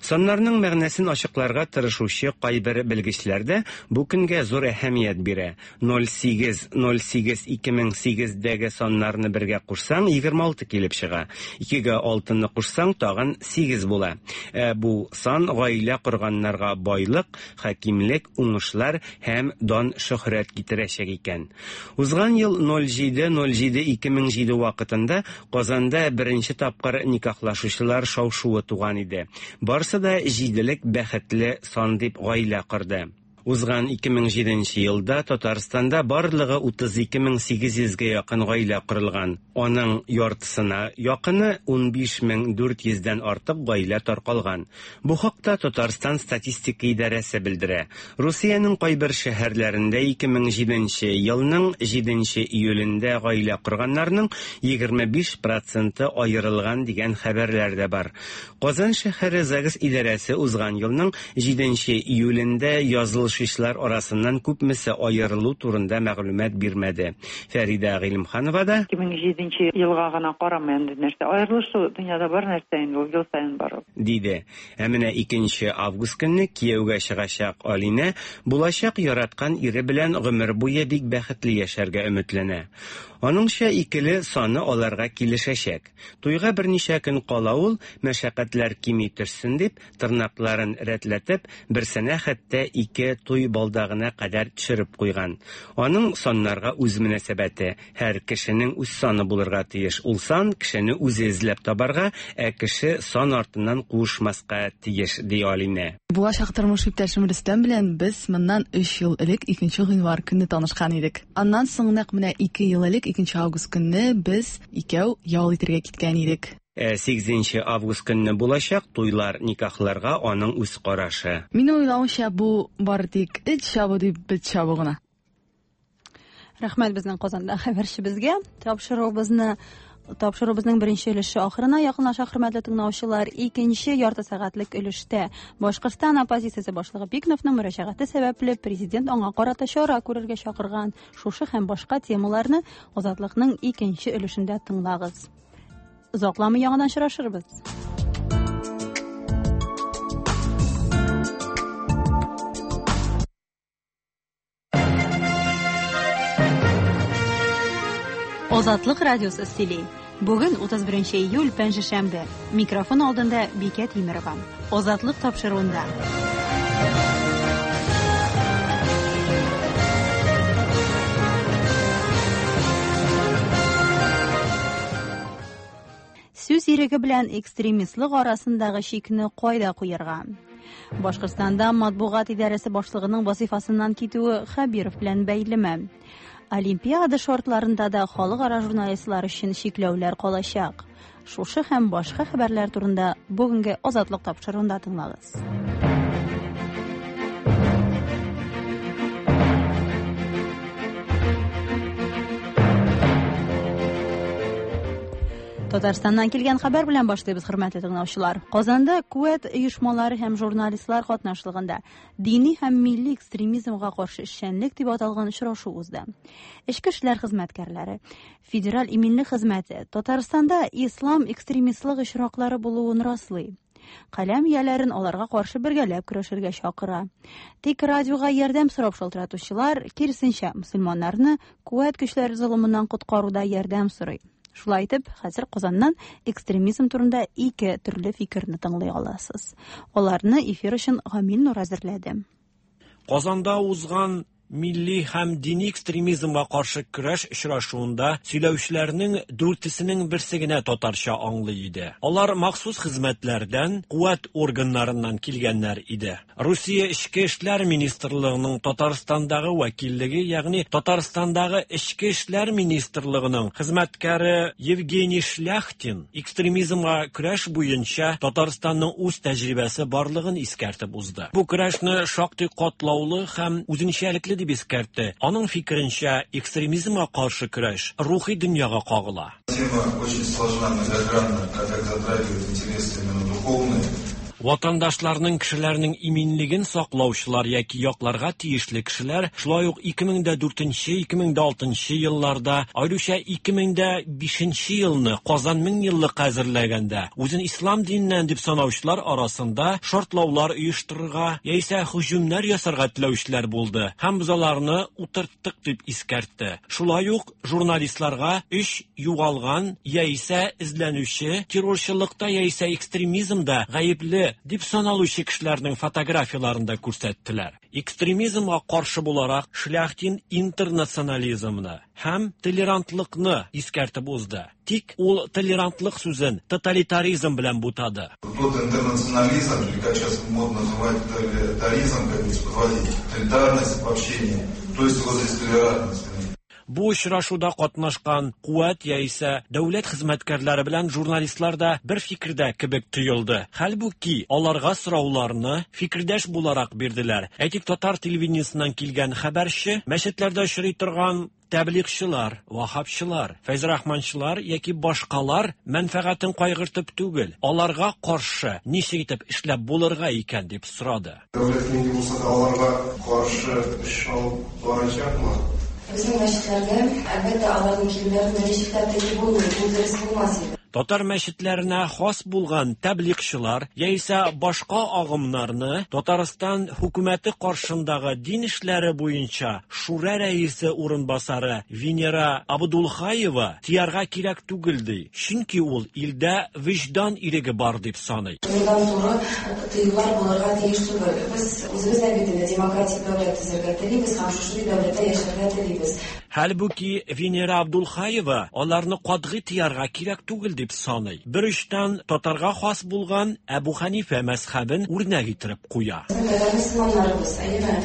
Саннарның мәгънәсен ачыкларга тырышучы кайбер белгечләр дә бу көнгә зур әһәмият бирә. Ноль сигез, ноль сигез, ике мең сигездәге саннарны бергә кушсаң, 26 килеп чыга. Икегә алтыны кушсаң, тагын сигез була. Ә бу сан гаилә корганнарга байлык, хакимлек, уңышлар һәм дан-шөһрәт китерәчәк икән. Узган ел ноль җиде, ноль җиде, 2007 вакытында Казанда беренче тапкыр никахлашучылар шау-шуы туган иде. Барсы да җиделек бәхетле сан дип гаилә корды. Узган 2007 нче елда Татарстанда барлыгы 32 800 гә якын гаилә корылган. Аның яртысына якыны, 15 400 дән артык гаилә таркалган. Бу хакта Татарстан статистика идарәсе белдерә. Русиянең кайбер шәһәрләрендә 2007 нче елның җиденче июлендә гаилә корганнарның 25 проценты аерылган дигән хәбәрләр дә бар. Казан шәһәре загс идарәсе узган елның җиденче июлендә язылышучылар арасыннан күпмесе аерылу турында мәгълүмат бирмәде. Фәридә Гыйлемханова да 2007 елга гына карамый андый нәрсә. Аерылышу дөньяда бар нәрсә инде ул, ел саен бар ул. Диде. Ә менә икенче август көнне кияүгә чыгачак Алинә булачак яраткан ире белән гомер буе бик бәхетле яшәргә өметләнә. Аныңча, икеле саны аларга килешәчәк. Туйга берничә көн кала ул, мәшәкатьләр кими төшсен дип, тырнакларын рәтләтеп, берсенә хәтта ике туй балдагына кадәр төшереп куйган. Аның саннарга үз мөнәсәбәте. Һәр кешенең үз саны булырга тиеш. Ул сан кешене үзе эзләп табарга, ә кеше сан артыннан куышмаска тиеш, ди Алинә. Булачак тормыш иптәшем Рөстәм белән без моннан өч ел элек 2 гыйнвар көнне танышкан идек. Аннан соң нәкъ менә 2 ел элек 2 август көнне без икәү ял итергә киткән идек. Ә 8 август көнне булачак туйлар, никахларга аның үз карашы. Минем уйлавымча, бу бары тик эт чабу дип бет чабу гына. Рәхмәт безнең Казанда хәбәрчебезгә. Тапшыруыбызны Тапшыруыбызның беренче өлеше ахырына якынлаша, хөрмәтле тыңлаучылар. Икенче ярты сәгатьлек өлештә Башкортстан оппозициясе башлыгы Бикновның мөрәҗәгате сәбәпле президент аңа карата чара күрергә чакырган. Шушы һәм башка темаларны Азатлыкның икенче өлешендә тыңлагыз. Озакламый яңадан очрашырбыз. Азатлык радиосы сөйли. Бүген 31 июль, пәнҗешәмбе. Микрофон алдында Бикә Тимерова. Азатлык тапшыруында. Сүз иреге белән экстремистлык арасындагы чикне кайда куярга? Башкортстанда матбугат идарәсе башлыгының вазифасыннан китүе Хәбиров белән бәйлеме? Олимпиада шартларында да халыкара журналистлар өчен чикләүләр калачак. Шушы һәм башка хәбәрләр турында бүгенге Азатлык тапшыруында тыңлагыз. Татарстаннан килгән хәбәр белән башлыйбыз, хөрмәтле тыңлаучылар. Казанда куәт оешмалары һәм журналистлар катнашлыгында дини һәм милли экстремизмга каршы эшчәнлек дип аталган очрашу узды. Эчке эшләр хезмәткәрләре, Федераль иминлек хезмәте Татарстанда ислам экстремистлык очраклары булуын раслый. Каләм ияләрен аларга каршы бергәләп көрәшергә чакыра. Тик радиога ярдәм сорап шалтыратучылар, киресенчә, мөселманнарны куәт көчләре золымыннан коткаруда ярдәм сорый. Шулай итеп, хәзер Казаннан экстремизм турында ике төрле фикерне тыңлый аласыз. Аларны эфир өчен Гамил Нур әзерләде. Казанда узган милли һәм дини экстремизмга каршы көрәш очрашуында сөйләүчеләрнең дүртесенең берсе генә татарча аңлый иде. Алар махсус хезмәтләрдән, куәт органнарыннан килгәннәр иде. Русия Эчке эшләр министрлыгының Татарстандагы вәкиллеге, ягъни Татарстандагы Эчке эшләр министрлыгының хезмәткәре Евгений Шляхтин экстремизмга көрәш буенча Татарстанның үз тәҗрибәсе барлыгын искәртеп узды. Бу көрәшне шактый катлаулы һәм үзенчәлекле дип искәртте. Аның фикеренчә, экстремизмга каршы көрәш рухи дөньяга кагыла. Тема очень сложна, многогранна, так как затрагивает интересы именно духовные. Ватандашларның кешеләрнең иминлеген саклаучылар яки якларга тиешле кешеләр шулай ук 2004-2006 елларда, аеруча 2005 елны Казан мең еллыкка әзерләгәндә, үзен ислам диненнән дип санаучылар арасында шартлаулар оештырырга яисә һөҗүмнәр ясарга теләүчеләр булды һәм без аларны утырттык дип искәртте. Шулай ук журналистларга өч югалган яисә эзләнүче террорчылыкта яисә экстремизмда гаепле дип саналучы кешеләрнең фотографияларын да күрсәттеләр. Экстремизмга каршы буларак Шляхтин интернационализмны һәм толерантлыкны искәртеп узды. Тик ул толерантлык сүзен тоталитаризм белән бутады. Тот интернационализм, или как сейчас модно называть тоталитаризм, как здесь подводить, толерантность в общении, то есть вот здесь толерантность. Бу очрашуда катнашкан куәт яисә дәүләт хезмәткәрләре белән журналистлар да бер фикердә кебек тоелды. Хәлбуки, аларга сорауларны фикердәш буларак бирделәр. Әйтик, татар телевидениесеннән килгән хәбәрче мәчетләрдә очрый торган тәблигъчылар, ваһһабчылар, фәйзрахманчылар яки башкалар мәнфәгатен кайгыртып түгел, аларга каршы ничек итеп эшләп булырга икән дип сорады. Дәүләт нинди булса да аларга каршы эш алып барачакмы? Безнең мәчетләрдә, әлбәттә, аларның килүләрен ничек тә тыеп булмый, бу дөрес булмас иде. Татар мәчетләренә хас булган тәблигъчылар яисә башка агымнарны Татарстан хөкүмәте каршындагы дин эшләре буенча шура рәисе урынбасары Венера Абдулхаева тыярга кирәк түгел ди, чөнки ул илдә вөҗдан иреге бар дип саный. Турыдан-туры тыюлар булырга тиеш түгел. Без үзебез дә бит инде демократик дәүләт төзергә телибез һәм шушындый дәүләттә яшәргә телибез. Хәлбуки, Венера Абдулхаева аларны катгый тыярга кирәк түгел дип саный. Бер очтан татарга хас булган Әбу Хәнифә мәзхәбен үрнәк иттереп куя. Безнең татар мөселманнарыбыз, әйеме,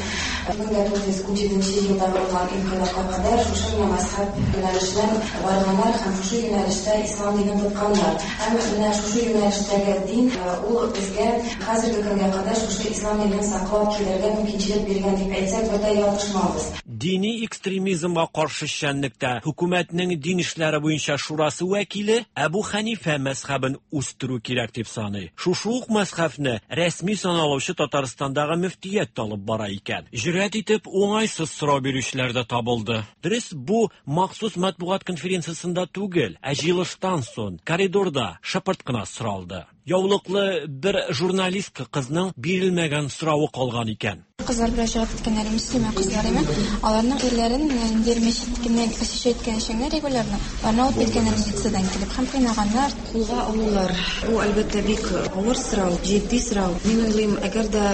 1917 нче елда булган инкыйлабка кадәр шушы менә мәзхәб юнәлешеннән барганнар һәм шушы юнәлештә ислам динен тотканнар. Һәм менә шушы юнәлештәге дин ул безгә хәзерге көнгә кадәр шушы ислам динен саклап килергә мөмкинчелек биргән дип әйтсәк, бер дә ялгышмабыз. Дини экстремизмга каршы эшчәнлектә хөкүмәтнең дин эшләре буенча шурасы вәкиле Әбу Хәнифә мәзхәбен үстерү кирәк дип саный. Шушы ук мәзхәбне рәсми саналучы Татарстандагы мөфтият тә алып бара икән. Җөрьәт итеп, уңайсыз сорау бирүчеләр дә табылды. Дөрес, бу махсус матбугат конференциясендә түгел, ә җыелыштан соң, коридорда, шыпырт кына соралды. Яулыклы бер журналистка кызның бирелмәгән соравы калган икән. Кызлар белән чыгып киткәннәр, мөслимә кызлар име, аларның ирләрен менә ниндидер мәчеткә посещать иткән өчен генә регулярно, аларны алып киткәннәр милициядән килеп һәм кыйнаганнар. Кулга алулар, бу, әлбәттә, бик авыр сорау, җитди сорау. Мин уйлыйм, әгәр дә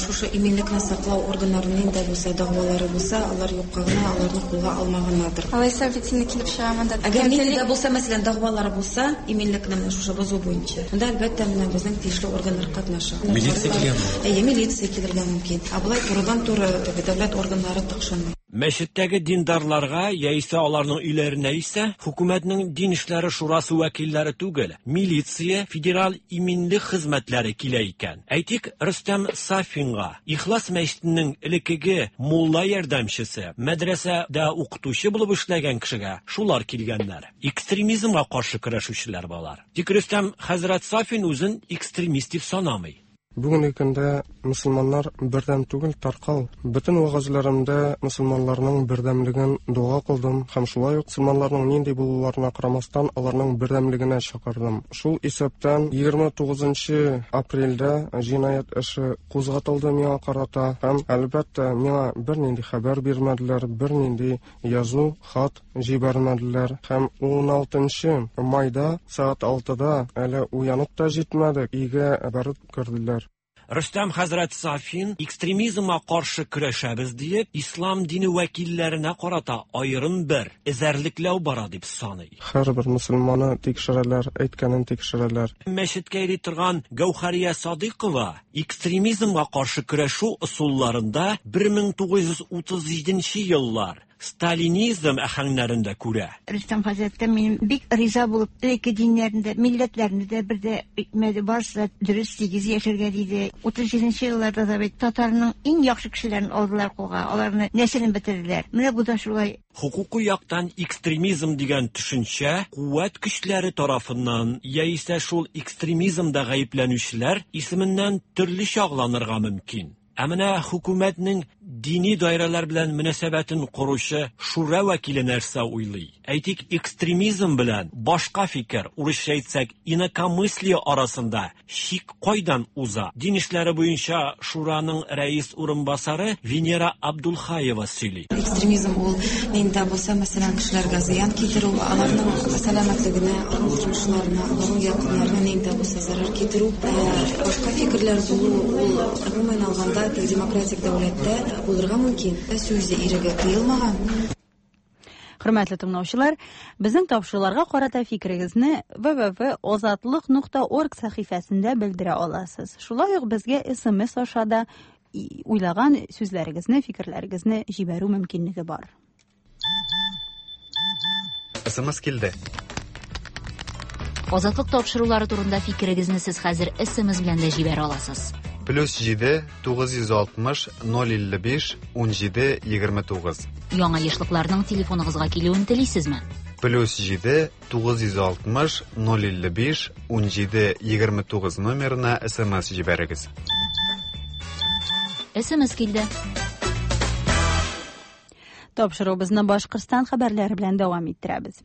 шушы иминлекне саклау органнарының нинди дә булса дәгъвалары булса, алар юкка гына аларны кулга алмаганнардыр. Алайса бит инде килеп чыга монда. Әгәр нинди дә булса, мәсәлән, дәгъвалары булса, иминлекне менә шушы бозу буенча. Монда, әлбәттә, менә безнең тиешле органнар катнаша. Милиция килгәнме? Әйе, милиция килергә мөмкин. Ә болай турыдан-туры теге дәүләт органнары тыкшынмый. Мәчеттәге диндарларга яисә аларның өйләренә исә хөкүмәтнең дин эшләре шурасы вәкилләре түгел, милиция, федераль иминлек хезмәтләре килә икән. Әйтик, Рөстәм Сафинга, Ихлас мәчетенең элеккеге мулла ярдәмчесе, мәдрәсәдә укытучы булып эшләгән кешегә шулар килгәннәр. Экстремизмга каршы көрәшүчеләр болар. Тик Рөстәм хәзрәт Сафин үзен экстремист дип санамый. Бүгенге көндә мөселманнар бердәм түгел, таркау. Бөтен вәгазьләремдә мөселманнарның бердәмлеген дога кылдым һәм шулай ук мөселманнарның нинди булуларына карамастан, аларның бердәмлегенә чакырдым. Шул исәптән 29 нчы апрельдә җинаять эше кузгатылды миңа карата һәм, әлбәттә, миңа бернинди хәбәр бирмәделәр, бернинди язу, хат җибәрмәделәр һәм уналтынчы майда сәгать алтыда, әле уянып та җитмәдек, өйгә барып керделәр. Рөстәм хәзрәт Сафин, экстремизмга каршы көрәшәбез диеп, ислам дине вәкилләренә карата аерым бер эзәрлекләү бара дип саный. Һәрбер мөселманы тикшерәләр, әйткәнен тикшерәләр. Мәчеткә йөри торган Гәүһәрия Садыйкова экстремизмга каршы көрәшү ысулларында 1937 нче еллар сталинизм аһәңнәрен дә күрә. Рөстәм хәзрәттән мин бик риза булып, элекке диннәрне дә, милләтләрне дә бер дә итмәде, барысы да дөрес, тигез яшәргә диде. 37 нче елларда да бит татарның иң яхшы кешеләрен алдылар кулга, аларны нәселен бетерделәр. Менә бу да шулай. Хокукый яктан экстремизм дигән төшенчә куәт көчләре тарафыннан яисә шул экстремизмда гаепләнүчеләр исеменнән төрлечә аңланырга мөмкин. Ә менә хөкүмәтнең дини даирәләр белән мөнәсәбәтен коручы шура вәкиле нәрсә уйлый? Әйтик, экстремизм белән башка фикер, урысча әйтсәк, инакомыслие арасында чик кайдан уза? Дин эшләре буенча шураның рәис урынбасары Венера Абдулхаева сөйли. Экстремизм ул нинди дә булса, мәсәлән, кешеләргә зыян китерү, аларның сәламәтлегенә, аларның тормышларына, аларның якыннарына нинди дә булса зарар китерү. Ә башка фикерләр булу ул, гомумән алганда, демократик дәүләттә булырга мөмкин. Сүз иреге тыелмаган. Хөрмәтле тыңлаучылар, безнең тапшыруларга карата фикерегезне www.ozatliq.org сәхифәсендә белдерә аласыз. Шулай ук безгә SMS аша да уйлаган сүзләрегезне, фикерләрегезне җибәрү мөмкинлеге бар. SMS килде. Азатлык тапшырулары турында фикерегезне сез хәзер SMS белән дә җибәрә аласыз. Плюс 7 960 055 17 29. Яңа ешлыкларның телефоныгызга килүен телисезме? Плюс 7 960 055 17 29 номерына SMS җибәрегез. SMS килде. Тапшыруыбызны Башкортстан хәбәрләре белән дәвам иттерәбез.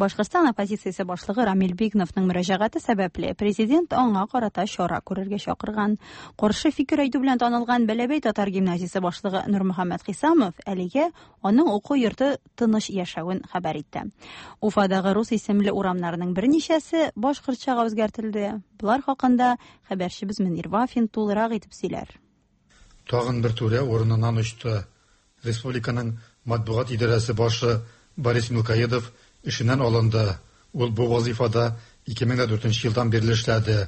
Башкортстан оппозициясе башлыгы Рамил Бигновның мөрәҗәгате сәбәпле президент аңа карата чара күрергә чакырган. Каршы фикер әйтү белән танылган Бәләбәй татар гимназиясе башлыгы Нурмөхәммәт Хисамов әлегә аның уку йорты тыныч яшәвен хәбәр итте. Уфадагы рус исемле урамнарның берничәсе башкортчага үзгәртелде. Болар хакында хәбәрчебез Мөнир Вафин тулырак итеп сөйләр. Тагын бер түрә урыныннан очты. Республиканың матбугат идарәсе башы Борис Мелкоедов эшеннән алынды. Ул бу вазифада 2004 елдан бирле эшләде.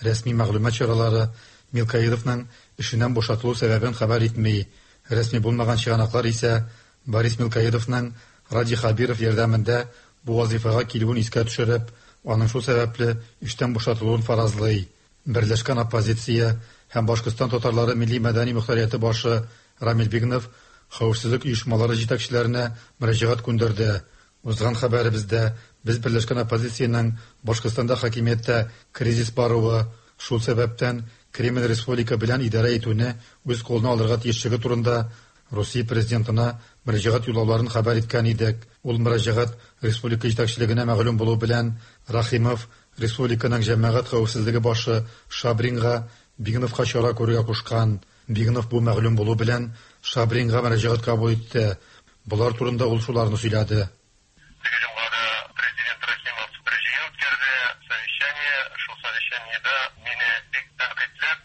Рәсми мәгълүмат чаралары Мелкоедовның эшеннән бушатылу сәбәбен хәбәр итми. Рәсми булмаган чыганаклар исә Борис Мелкоедовның Радий Хәбиров ярдәмендә бу вазифага килүен искә төшереп, аның шул сәбәпле эштән бушатылуын фаразлый. Берләшкән оппозиция һәм Башкортстан татарлары милли-мәдәни мохтарияте башы Рамил Бигнов хәвефсезлек оешмалары җитәкчеләренә мөрәҗәгать күндерде. Узган хәбәребездә без берләшкән оппозициянең Башкортстанда хакимияттә кризис баруы, шул сәбәптән Кремль республика белән идарә итүне үз кулына алырга тиешлеге турында Русия президентына мөрәҗәгать юллауларын хәбәр иткән идек. Ул мөрәҗәгать республика җитәкчелегенә мәгълүм булу белән Рахимов республиканың җәмәгать хәвефсезлеге башы Шабринга Бигновка чара күрергә кушкан. Бигнов бу мәгълүм булу белән Шабринга мөрәҗәгать кабул итте. Болар турында ул шуларны сөйләде. Теге җомгада президент Рахимов бер җыен үткәрде, совещание. Шул совещаниедә мине бик тәнкыйтьләп,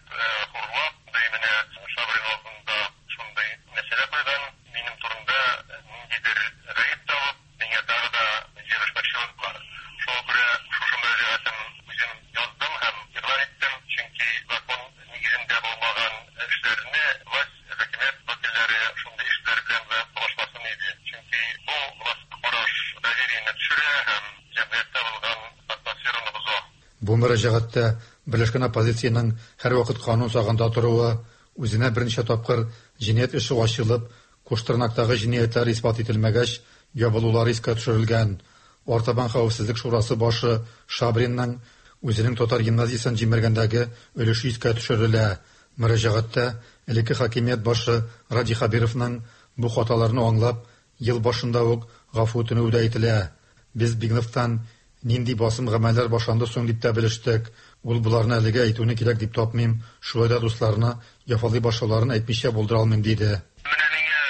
хурлап, ди менә Шабрин алдында шундый мәсьәлә куйган, минем турында ниндидер гаеп табып, миңа тагы да җирешмәкче булдылар. Шуңа күрә шушы мөрәҗәгатем үзем яздым һәм игълан иттем, чөнки закон нигезендә булмаган эшләрне власть, хакимият вәкилләре шундый эшләр белән дә талашмасын иде. Чөнки бу властька караш довериене төшерә һәм җәмгыятьтә булган атмосфераны боза. Бу мөрәҗәгатьтә берләшкән оппозициянең һәрвакыт канун сагында торуы, үзенә берничә тапкыр җинаять эше ачылып, Куштырнактагы җинаятьләр исбат ителмәгәч, ябылулары искә төшерелгән. Артабан хәвефсезлек шурасы башы Шабринның үзенең татар гимназиясен җимергәндәге өлеше искә төшерелә. Мөрәҗәгатьтә элекке хакимият башы Радий Хәбировның бу хаталарны аңлап, ел башында ук гафу үтенүе дә әйтелә. Без Бигновтан нинди басым гамәлләр башланды соң дип тә белештек. Ул боларны әлегә әйтүне кирәк дип тапмыйм, шулай да дусларны яфалый башлауларын әйтмичә булдыра алмыйм, диде. Менә миңа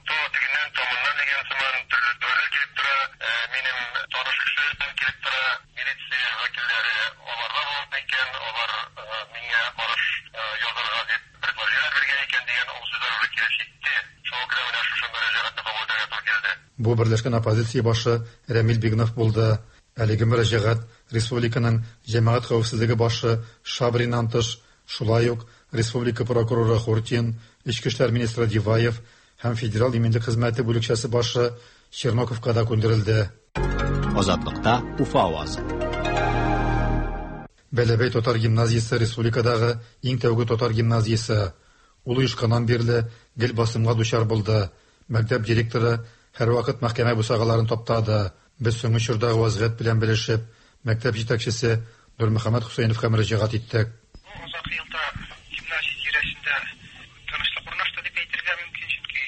то тегеннән, то моннан дигән сыман төрле хәбәрләр килеп тора. Минем таныш кешеләрдән килеп тора. Милиция вәкилләре аларда булган икән, алар миңа караш язарга дип предложениеләр биргән икән дигән ул сүзләр уже килеп җитте. Шуңа күрә менә шушы мөрәҗәгатьне кабул итәргә туры килде. Бу берләшкән оппозиция башы Рәмил Бигнов булды. Әлеге мөрәҗәгать республиканың җәмәгать хәвефсезлеге башы Шабриннан тыш, шулай ук республика прокуроры Хуртин, эчке эшләр министры Диваев һәм Федераль иминлек хезмәте бүлекчәсе башы Черноковка да күндерелде. Азатлыкта Уфа авазы. Бәләбәй татар гимназиясе республикадагы иң тәүге татар гимназиясе. Ул оешканнан бирле гел басымга дучар булды. Мәктәп директоры һәрвакыт мәхкәмә бусагаларын таптады. Без соңгы чордагы вазгыять белән белешеп, мәктәп җитәкчесе Нурмөхәммәт Хөсәеновка мөрәҗәгать иттек. Бу азакы елда гимназия тирәсендә тынычлык урнашты дип әйтергә мөмкин, чөнки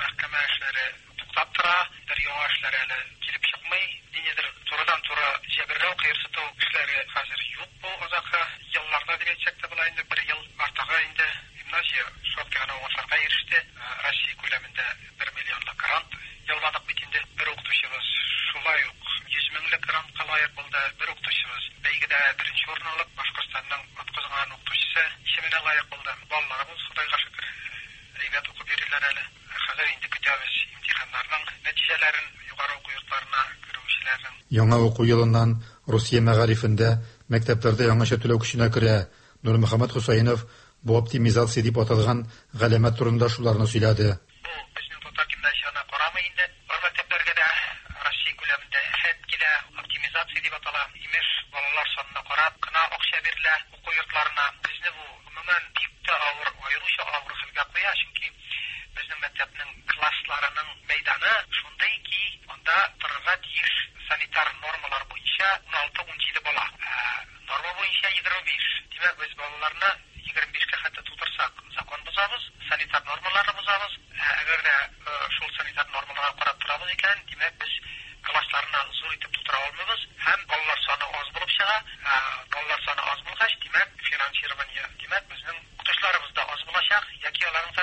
мәхкәмә эшләре туктап тора, бер яңа эшләр әле килеп чыкмый. Ниндидер турыдан-туры җәберләү, кыерсыту эшләре хәзер юк бу азакы елларда дип әйтсәк тә була инде, бер ел артыгы инде гимназия шактый гына уңышларга иреште. Россия күләмендә бер миллионлык грант яуладык бит инде. Бер укытучыбыз шулай ук 100 меңлек грантка лаек булды. Бер укытучыбыз бәйгедә беренче урын алып, Башкортстанның атказанган укытучысы исеменә лаек булды. Балаларыбыз, Ходайга шөкер, әйбәт укып йөриләр әле. Хәзер инде көтәбез имтиханнарның нәтиҗәләрен, югары уку йортларына керүчеләрнең. Яңа уку елыннан Русия мәгарифендә мәктәпләрдә яңача түләү көченә керә. Нурмөхәммәт Хөсәенов бу оптимизация дип аталган галәмәт турында шуларны сөйләде. Бу безнең татар гимназиясенә карамый инде. Бар мәктәпләргә дә Россия күләмендә афәт килә, оптимизация дип атала. Имеш, балалар санына карап кына акча бирелә уку йортларына. Безне бу, гомумән, бик тә авыр, аеруча авыр хәлгә куя, чөнки безнең мәктәпнең классларының мәйданы шундый ки, анда торырга тиеш санитар нормалар буенча 16-17 бала. Ә норма буенча 25. Димәк, без балаларны 25 кә хәтта тутырсак, закон бозабыз, санитар нормаларны бозабыз. Ә әгәр дә шул санитар нормаларга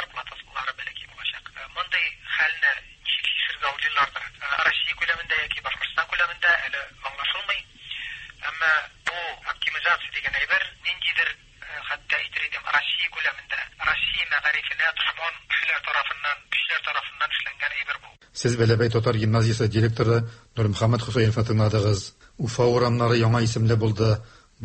Зарплаталары бәләкәй булачак. Мондый хәлне ничек чишергә уйлыйлардыр, Россия күләмендә яки Башкортстан күләмендә әле аңлашылмый. Әмма бу оптимизация дигән әйбер ниндидер, хәтта әйтер идем, Россия күләмендә, Россия мәгарифенә дошман кешеләр тарафыннан, көчләр тарафыннан эшләнгән әйбер бу. Сез Бәләбәй татар гимназиясе директоры Нурмөхәммәт Хөсәеновны тыңладыгыз. Уфа урамнары яңа исемле булды.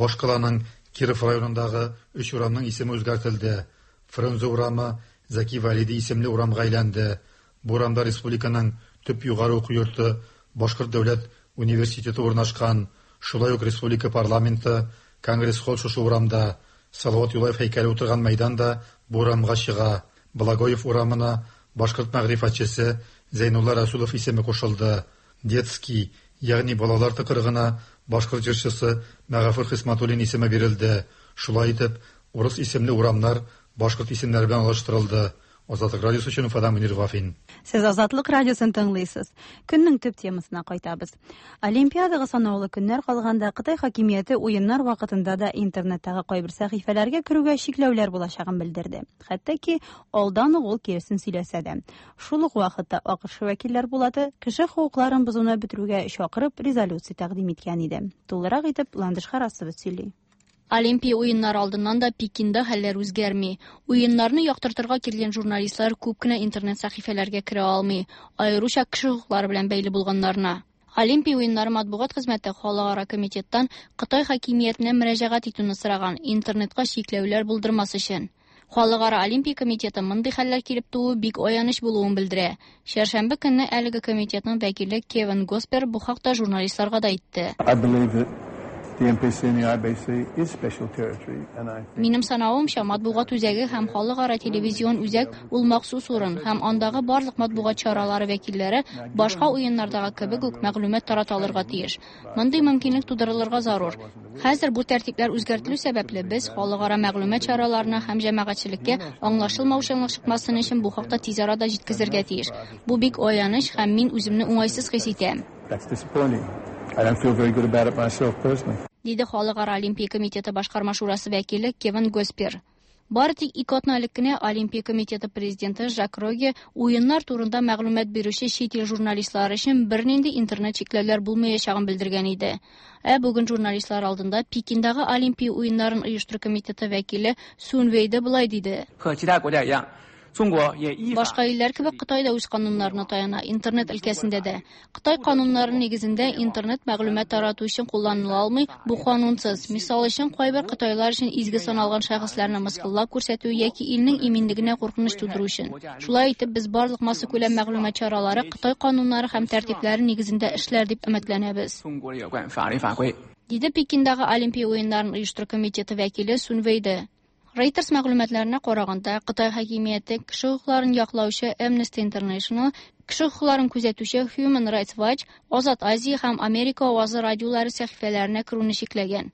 Башкаланың Киров районындагы өч урамның исеме үзгәртелде. Фрунзе урамы Зәки Вәлиди исемле урамга әйләнде. Бу урамда республиканың төп югары уку йорты Башкорт дәүләт университеты урнашкан. Шулай ук республика парламенты, Конгресс-холл шушы урамда. Салават Юлаев һәйкәле утырган мәйдан да бу урамга чыга. Благоев урамына башкорт мәгърифәтчесе Зәйнулла Рәсүлов исеме кушылды. Детский, ягъни балалар тыкрыгына башкорт җырчысы Мәгафур Хисматуллин исеме бирелде. Шулай итеп, урыс исемле урамнар башкорт исемнәре белән алыштырылды. Азатлык радиосы өчен Уфадан Мөнир Вафин. Сез Азатлык радиосын тыңлыйсыз. Көннең төп темасына кайтабыз. Олимпиадага санаулы көннәр калганда Кытай хакимияте уеннар вакытында да интернеттагы кайбер сәхифәләргә керүгә чикләүләр булачагын белдерде. Хәтта ки алдан ук ул киресен сөйләсә дә. Шул ук вакытта АКШ вәкилләр пулаты кеше хокукларын бозуны бетерүгә чакырып резолюция тәкъдим иткән иде. Тулырак итеп Ландыш Харасова сөйли. Олимпия уеннары алдыннан да Пекинда хәлләр үзгәрми. Уеннарны яктыртырга килгән журналистлар күп кенә интернет сәхифәләргә керә алмый, аеруча кеше хокуклары белән бәйле булганнарына. Олимпия уеннары матбугат хезмәте халыкара комитеттан Кытай хакимиятенә мөрәҗәгать итүне сораган, интернетка чикләүләр булдырмас өчен. Халыкара Олимпия комитеты мондый хәлләр килеп тууы бик аяныч булуын белдерә. Чәршәмбе көнне әлеге комитетның вәкиле Кевин Госпер бу хакта журналистларга да әйтте. Минем санавымча, матбугат үзәге һәм халыкара телевизион үзәк ул махсус урын һәм андагы барлык матбугат чаралары вәкилләре башка уеннардагы кебек үк мәгълүмат тарата алырга тиеш. Мондый мөмкинлек тудырылырга зарур. Хәзер бу тәртипләр үзгәртелү сәбәпле без халыкара мәгълүмат чараларына һәм җәмәгатьчелеккә аңлашылмаучанлык чыкмасын өчен бу хакта тиз арада җиткезергә тиеш. Бу бик аяныч һәм мин үземне уңайсыз хис итәм. Диде Халыкара Олимпия комитеты башкарма шурасы вәкиле Кевин Госпер. Бары тик ике атна элек кенә Олимпия комитеты президенты Жак Роге уеннар турында мәгълүмат бирүче чит ил журналистлары өчен бернинди интернет чикләүләр булмаячагын белдергән иде. Ә бүген журналистлар алдында Пекиндагы Олимпия уеннарын оештыру комитеты вәкиле Сун Вейде болай диде. Башка илләр кебек Кытай да үз кануннарына таяна, интернет өлкәсендә дә. Кытай кануннары нигезендә интернет мәгълүмат тарату өчен кулланыла алмый, бу канунсыз. Мисал өчен, кайбер кытайлар өчен изге саналган шәхесләрне мыскыллап күрсәтү яки илнең иминлегенә куркыныч тудыру өчен. Шулай итеп, без барлык массакүләм мәгълүмат чаралары Кытай кануннары һәм тәртипләре нигезендә эшләр дип өметләнәбез. Диде Пекиндагы Олимпия уеннарын оештыру комитеты вәкиле Сун Вейде. Reuters мәгълүматларына караганда, Кытай хакимияте кеше хокукларын яклаучы Amnesty International, кеше хокукларын күзәтүче Human Rights Watch, Азат Азия һәм Америка авазы радиолары сәхифәләренә керүне чикләгән.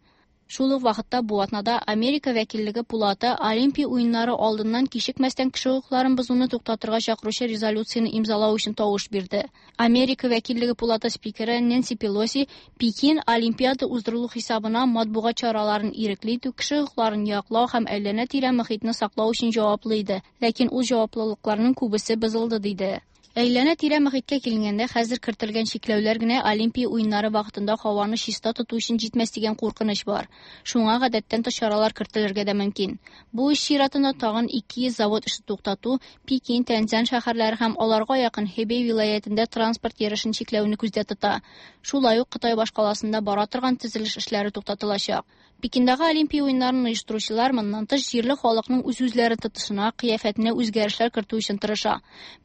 Шул ук вакытта бу атнада Америка вәкиллеге пулаты Олимпия уеннары алдыннан кичекмәстән кеше хокукларын бозуны туктатырга чакыручы резолюцияне имзалау өчен тавыш бирде. Америка вәкиллеге пулаты спикеры Нэнси Пелоси Пекин Олимпиада уздырылу хисабына матбугат чараларын ирекле итү, кеше хокукларын яклау һәм әйләнә-тирә мохитне саклау өчен җаваплы иде, ләкин ул җаваплылыкларның күбесе бозылды диде. Әйләнә-тирә мохиткә килгәндә, хәзер кертелгән чикләүләр генә Олимпия уеннары вакытында һаваны чиста тоту өчен җитмәс дигән куркыныч бар. Шуңа гадәттән тыш чаралар кертелергә дә мөмкин. Бу эш чиратында тагын 200 завод эше туктату, Пекин, Тяньцзинь шәһәрләре һәм аларга якын Хэбэй вилаятендә транспорт йөрешен чикләүне күздә тота. Шулай ук Кытай башкаласында бара торган төзелеш эшләре туктатылачак. Пекиндагы Олимпия уеннарын оештыручылар моннан тыш җирле халыкның үз-үзләрен тотышына, кыяфәтенә үзгәрешләр кертү өчен тырыша.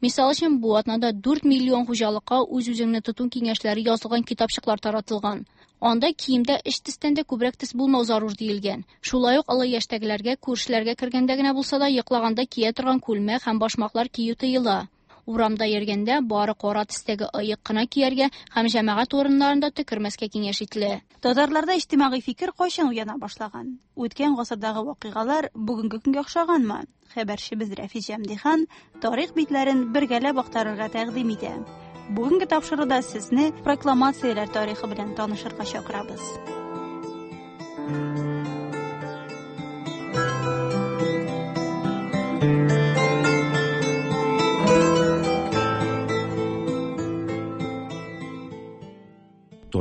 Мисал өчен, бу атнада 4 миллион хуҗалыкка үз-үзеңне тоту киңәшләре язылган китапчыклар таратылган. Анда киемдә өч төстән дә күбрәк төс булмау зарур диелгән. Шулай ук олы яшьтәгеләргә күршеләргә кергәндә генә булса да йоклаганда кия торган күлмәк һәм башмаклар кию тыела. Урамда йөргәндә бары кара төстәге ыек кына кияргә һәм җәмәгать урыннарында төкермәскә киңәш ителә. Татарларда иҗтимагый фикер кайчан уяна башлаган? Үткән гасырдагы вакыйгалар бүгенге көнгә охшаганмы? Хәбәрчебез Рәфис Җәмдихан тарих битләрен бергәләп актарырга тәкъдим итә. Бүгенге тапшыруда сезне прокламацияләр тарихы белән танышырга чакырабыз.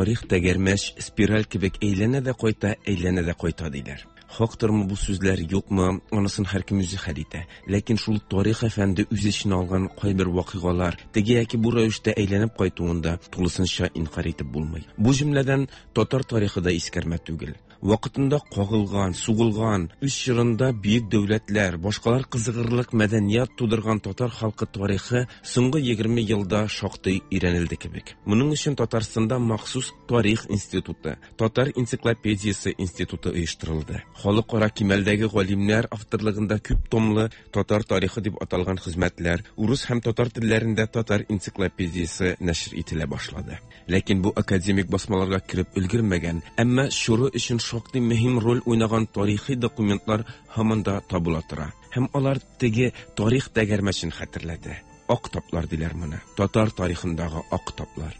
Тарих тәгәрмәч, спираль кебек әйләнә дә кайта, әйләнә дә кайта, диләр. Хактырмы бу сүзләр, юкмы, анысын һәркем үзе хәл итә. Ләкин шул тарих әфәнде үз эченә алган кайбер вакыйгалар теге яки бу рәвештә әйләнеп кайтуын да тулысынча инкарь итеп булмый. Бу җөмләдән татар тарихы да искәрмә түгел. Вакытында кагылган, сугылган, үз чорында бөек дәүләтләр, башкалар кызыгырлык мәдәният тудырган татар халкы тарихы соңгы 20 елда шактый өйрәнелде кебек. Моның өчен Татарстанда махсус тарих институты, Татар энциклопедиясе институты оештырылды. Халыкара кимәлдәге галимнәр авторлыгында күп томлы Татар тарихы дип аталган хезмәтләр, урыс һәм татар телләрендә татар энциклопедиясе нәшер ителә башлады. Ләкин бу академик басмаларга кереп өлгермәгән, әмма чоры өчен шактый мөһим роль уйнаган тарихи документлар һаман да табыла тора. Һәм алар теге тарих тәгәрмәчен хәтерләтә. Ак таплар диләр моны. Татар тарихындагы ак таплар.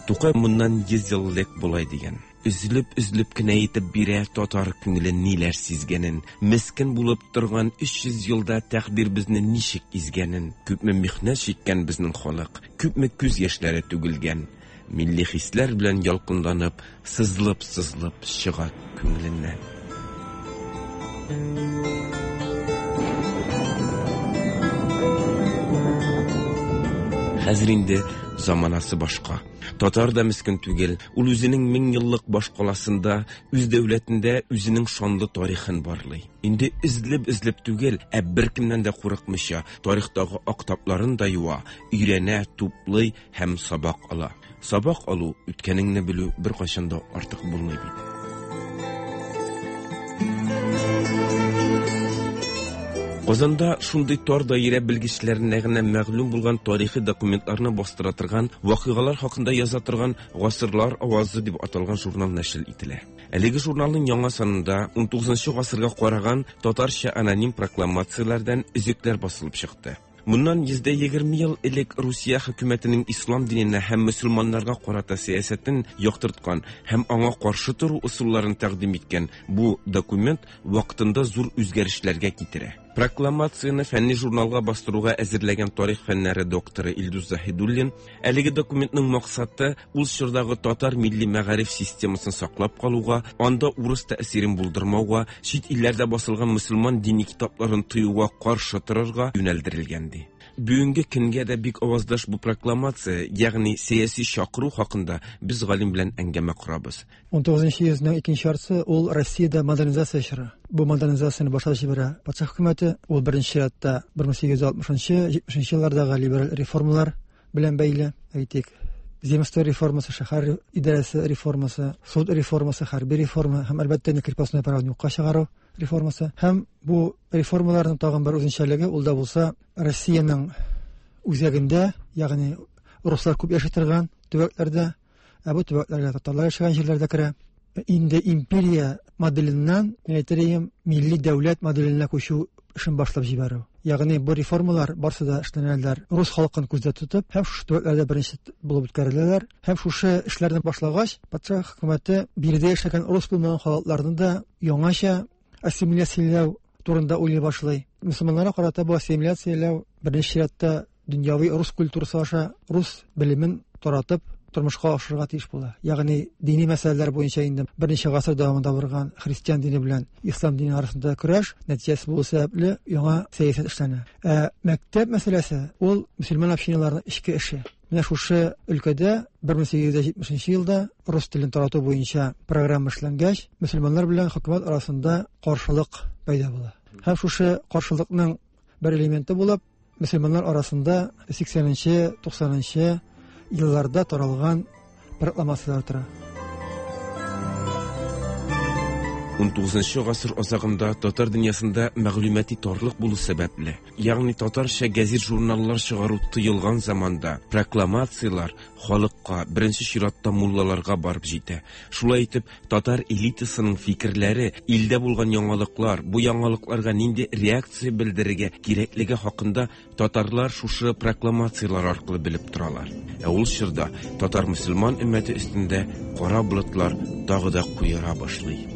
Тукай моннан 100 ел элек болай дигән. Өзелеп-өзелеп кенә әйтеп бирә татар күңеле ниләр сизгәнен, мескен булып торган 300 елда тәкъдир безне ничек изгәнен, күпме михнәт чиккән безнең халык, күпме күз яшьләре түгелгән. Милли хисләр белән ялкынланып, сызылып-сызылып чыга күңеленнән. Хәзер инде заманасы башка. Татар да мескен түгел, ул үзенең меңьеллык башкаласында, үз дәүләтендә үзенең шанлы тарихын барлый. Инде эзлеп-эзлеп түгел, ә беркемнән дә курыкмыйча, тарихтагы ак тапларын да юа, өйрәнә, туплый һәм сабак ала. Сабак алу, үткәнеңне белү беркайчан да артык булмый бит. Казанда шундый тар даирә белгечләренә генә мәгълүм булган тарихи документларны бастыра торган, вакыйгалар хакында яза торган Гасырлар авазы дип аталган журнал нәшер ителә. Әлеге журналның яңа санында 19 гасырга караган татарча аноним прокламацияләрдән өзекләр басылып чыкты. Моннан 120 ел элек Русия хөкүмәтенең ислам диненә һәм мөселманнарга карата сәясәтен яктырткан һәм аңа каршы тору ысулларын тәкъдим иткән бу документ вакытында зур үзгәрешләргә китерә. Прокламацияне фәнни журналга бастыруга әзерләгән тарих фәннәре докторы Илдус Заһидуллин әлеге документның максаты ул чордагы татар милли мәгариф системасын саклап калуга, анда урыс тәэсирен булдырмауга, чит илләрдә басылган мөселман дини китапларын тыюга каршы торырга юнәлдерелгән ди. Бүгенге көнгә дә бик аваздаш бу прокламация, ягъни сәяси чакыру хакында без галим белән әңгәмә корабыз. 19 йөзнең икенче яртысы ул Россиядә модернизация чоры. Бу модернизацияне башлап җибәрә патша хөкүмәте. Ул беренче чиратта 1860-70 еллардагы либераль реформалар белән бәйле. Әйтик, земство реформасы, шәһәр идарәсе реформасы, суд реформасы, хәрби реформа һәм әлбәттә инде крепостное правоны юкка чыгару реформасы. Һәм бу реформаларның тагын бер үзенчәлеге ул да булса Россиянең үзәгендә, ягъни руслар күп яши торган төбәкләрдә, ә бу төбәкләргә татарлар яшәгән җирләр дә керә. Инде империя моделеннән, мин әйтер идем, милли дәүләт моделенә күчү эшен башлап җибәрү. Ягъни бу реформалар барсы да эшләнәләр рус халкын күздә тотып һәм шушы төбәкләрдә беренче булып үткәреләләр. Һәм шушы эшләрне башлагач, патша хөкүмәте биредә яшәгән рус булмаган халыкларны да яңача ассимиляцияләү турында уйлый башлый. Мөселманнарга карата бу ассимиляцияләү беренче чиратта дөньяви рус культурасы аша рус белемен таратып тормышка ашырырга тиеш була. Ягъни дини мәсьәләләр буенча инде берничә гасыр дәвамында барган христиан дине белән ислам дине арасында көрәш нәтиҗәсе булу сәбәпле яңа сәясәт эшләнә. Ә мәктәп мәсьәләсе ул мөселман общиналарының эчке эше. Менә шушы өлкәдә 1870 елда рус телен тарату буенча программа эшләнгәч, мөселманнар белән хөкүмәт арасында каршылык пәйда була. Һәм шушы каршылыкның бер элементы булып мөселманнар арасында 80-90 елларда таралган прокламацияләр тора. 19 гасыр азагында татар дөньясында мәгълүмати тарлык булу сәбәпле, ягъни татарча гәзит-журналлар чыгару тыелган заманда, прокламацияләр халыкка, беренче чиратта муллаларга барып җитә. Шулай итеп, татар элитасының фикерләре, илдә булган яңалыклар, бу яңалыкларга нинди реакция белдерергә кирәклеге хакында татарлар шушы прокламацияләр аркылы белеп торалар. Ә ул чорда татар мөселман өммәте өстендә кара болытлар тагы да куера башлый.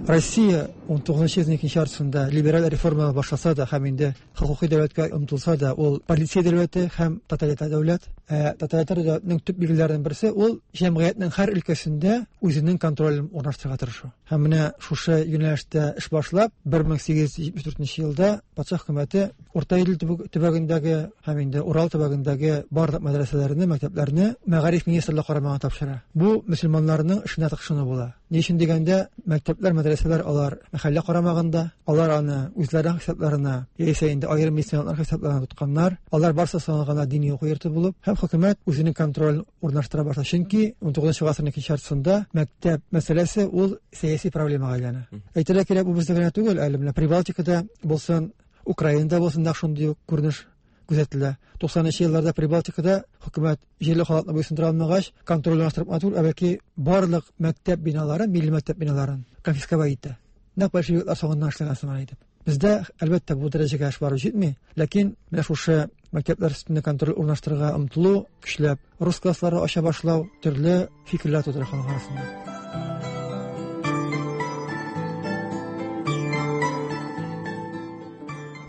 Россия 19 йөзнең икенче яртысында либераль реформалар башласа да һәм инде хокукый дәүләткә омтылса да, ул полиция дәүләте һәм тоталитар дәүләт. Ә тоталитар дәүләтнең төп билгеләренең берсе ул җәмгыятьнең һәр өлкәсендә үзенең контролен урнаштырырга тырышу. Һәм менә шушы юнәлештә эш башлап, 1874 елда патша хөкүмәте Урта Идел төбәгендәге һәм инде Урал төбәгендәге барлык мәдрәсәләрне, мәктәпләрне мәгариф министрлыгы карамагына тапшыра. Бу мөселманнарның эшенә тыкшыну була. Ни өчен дигәндә, мәктәпләр, мәдрәсәләр алар мәхәллә карамагында, алар аны үзләренең хисапларына, яисә инде аерым миссионерлар хисапларына тотканнар. Алар барысы саналган дини уку йорты булып, һәм хөкүмәт үзенең контролен урнаштыра башлый. Чөнки 19 гасырның икенче яртысында мәктәп мәсьәләсе ул сәяси проблемага әйләнә. Әйтергә кирәк, бу бездә генә түгел, әле менә Прибалтикада булсын, Украинада булсын да шундый ук күренеш күзәтелә. 90 елларда Прибалтикада хөкүмәт җирле халыкны буйсындыра алмагач, контроль урнаштырып кына түгел, ә бәлки барлык мәктәп биналарын, милли мәктәп биналарын конфисковать итә. Нәкъ большевиклар соңыннан эшләгән сыман итеп. Бездә, әлбәттә, бу дәрәҗәгә эш барып җитми, ләкин менә шушы мәктәпләр өстендә контроль урнаштырырга омтылу, көчләп рус класслары ача башлау төрле фикерләр тудыра халык арасында.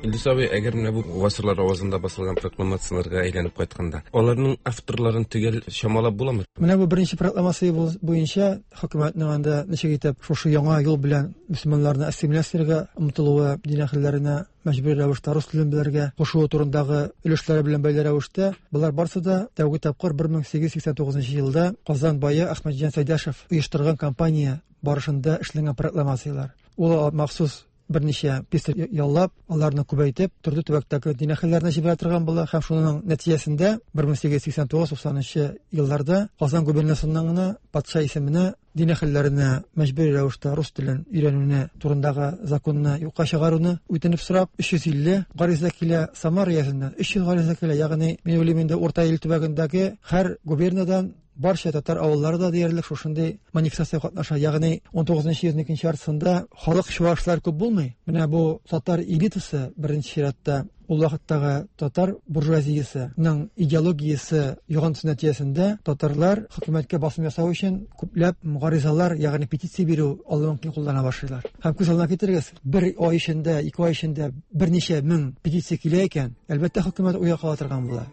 Илдус абый, әгәр менә бу гасырлар авазында басылган прокламацияләргә әйләнеп кайтканда, аларның авторларын төгәл чамалап буламы? Менә бу беренче прокламация буенча хөкүмәтнең анда ничек итеп шушы яңа юл белән мөселманнарны ассимиляцияләргә омтылуы, дин әһелләренә мәҗбүри рәвештә рус телен белергә кушуы турындагы өлешләре белән бәйле рәвештә, болар барысы да тәүге тапкыр 1889 елда Казан бае Әхмәтҗан Сәйдәшев оештырган кампания барышында эшләнгән прокламацияләр. Ул махсус берничә писарь яллап, аларны күбәйтеп, төрле төбәктәге дин әһелләренә җибәрә торган була һәм шуның нәтиҗәсендә 1889-90 елларда Казан губернасыннан гына патша исеменә дин әһелләренә мәҗбүри рәвештә рус телен өйрәнүне турындагы законны юкка чыгаруны үтенеп сорап 350 гариза килә, Самара өязеннән 300 гариза килә, ягъни мин уйлыйм инде Урта Ил төбәгендәге һәр губернадан барча татар авыллары да диярлек шушындый манифестациягә катнаша. Ягъни 19 йөзнең икенче яртысында халык чуашлар күп булмый. Менә бу татар элитасы беренче чиратта ул вакыттагы татар буржуазиясенең идеологиясе йогынтысы нәтиҗәсендә татарлар хөкүмәткә басым ясау өчен күпләп гаризалар, ягъни петиция бирү алымын куллана башлыйлар. Һәм күз алдына китерегез, бер ай эчендә, ике ай эчендә берничә мең петиция килә икән, әлбәттә, хөкүмәт уйга кала торган була.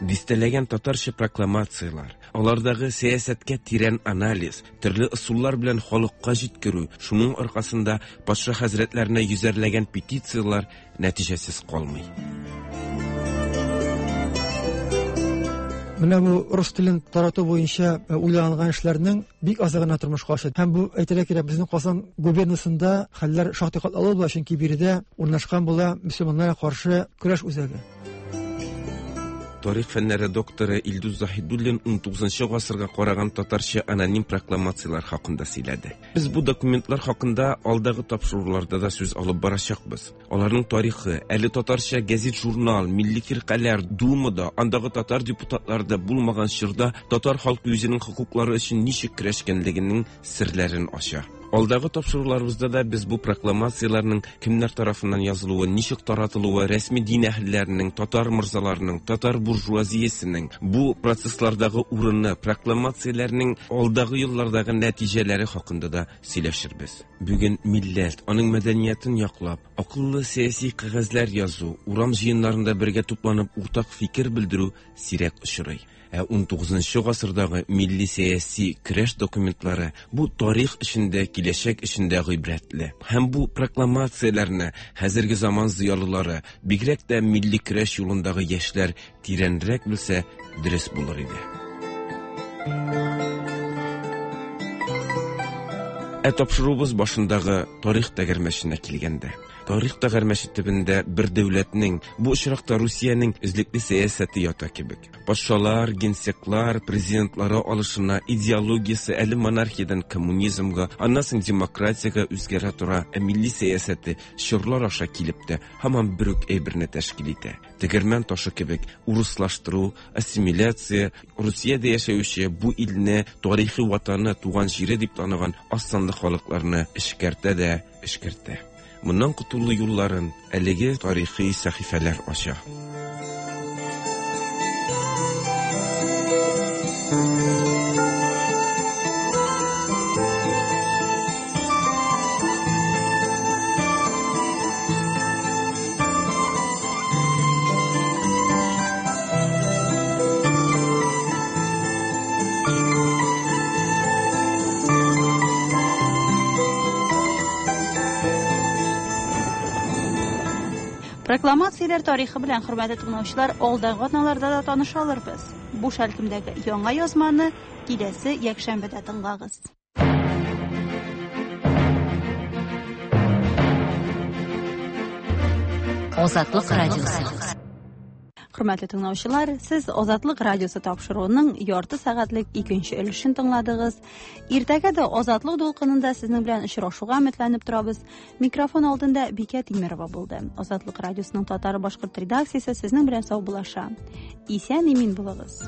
Дистәләгән татарча прокламацияләр, алардагы сәясәткә тирән анализ, төрле ысуллар белән халыкка җиткерү, шуның аркасында патша хәзрәтләренә йөзәрләгән петицияләр нәтиҗәсез калмый. Менә бу рус телен тарату буенча э, уйланган эшләрнең бик азы гына тормышка аша. Һәм бу әйтергә кирәк, безнең Казан губернасында хәлләр шактый катлаулы була, чөнки биредә урнашкан була мөселманнарга каршы көрәш үзәге. Тарих фәннәре докторы Илдус Заһидуллин 19 гасырга караган татарча аноним прокламацияләр хакында сөйләде. Без бу документлар хакында алдагы тапшыруларда да сүз алып барачакбыз. Аларның тарихы, әле татарча гәзит-журнал, милли фиркаләр, Думада, андагы татар депутатлары да булмаган чорда татар халкы үзенең хокуклары өчен ничек көрәшкәнлегенең серләрен ача. Алдагы тапшыруларыбызда да без бу прокламацияләрнең кемнәр тарафыннан язылуы, ничек таратылуы, рәсми дин әһелләренең, татар морзаларының, татар буржуазиясенең бу процесслардагы урыны, прокламацияләрнең алдагы еллардагы нәтиҗәләре хакында да сөйләшербез. Бүген милләт, аның мәдәниятен яклап, акыллы сәяси кәгазьләр язу, урам җыеннарында бергә тупланып уртак фикер белдерү сирәк очрый. Ә 19 гасырдагы милли сәяси көрәш документлары бу тарих эчендә, киләчәк эчендә гыйбрәтле. Һәм бу прокламацияләрне хәзерге заман зыялылары, бигрәк тә милли көрәш юлындагы яшьләр тирәнрәк белсә, дөрес булыр иде. Ә тапшыруыбыз башындагы тарих тәгәрмәченә килгәндә, тарих тәгәрмәче төбендә бер дәүләтнең, бу очракта Русиянең эзлекле сәясәте ята кебек. Патшалар, генсеклар, президентлары алышына, идеологиясе әле монархиядән коммунизмга, аннан соң демократиягә үзгәрә тора, ә милли сәясәте чорлар аша килеп тә һаман бер үк әйберне тәшкил итә. Тегермән ташы кебек урыслаштыру, ассимиляция, Русиядә яшәүче бу илне тарихи ватаны, туган җире дип таныган аз санлы халыкларны эшкәртә дә эшкәртә. Моннан котылу юлларын әлеге тарихи сәхифәләр ача. Прокламацияләр тарихы белән, хөрмәтле тыңлаучылар, алдагы атналарда да таныша алырбыз. Бу шәлкемдәге яңа язманы киләсе якшәмбедә тыңлагыз. Азатлык радиосы. Хөрмәтле тыңлаучылар, сез Азатлык радиосы тапшыруының ярты сәгатьлек икенче өлешен тыңладыгыз. Иртәгә дә Азатлык дулкынында сезнең белән очрашуга өметләнеп торабыз. Микрофон алдында Бикә Тимерова булды. Азатлык радиосының татар башкорт редакциясе сезнең белән саубуллаша. Исән имин булыгыз.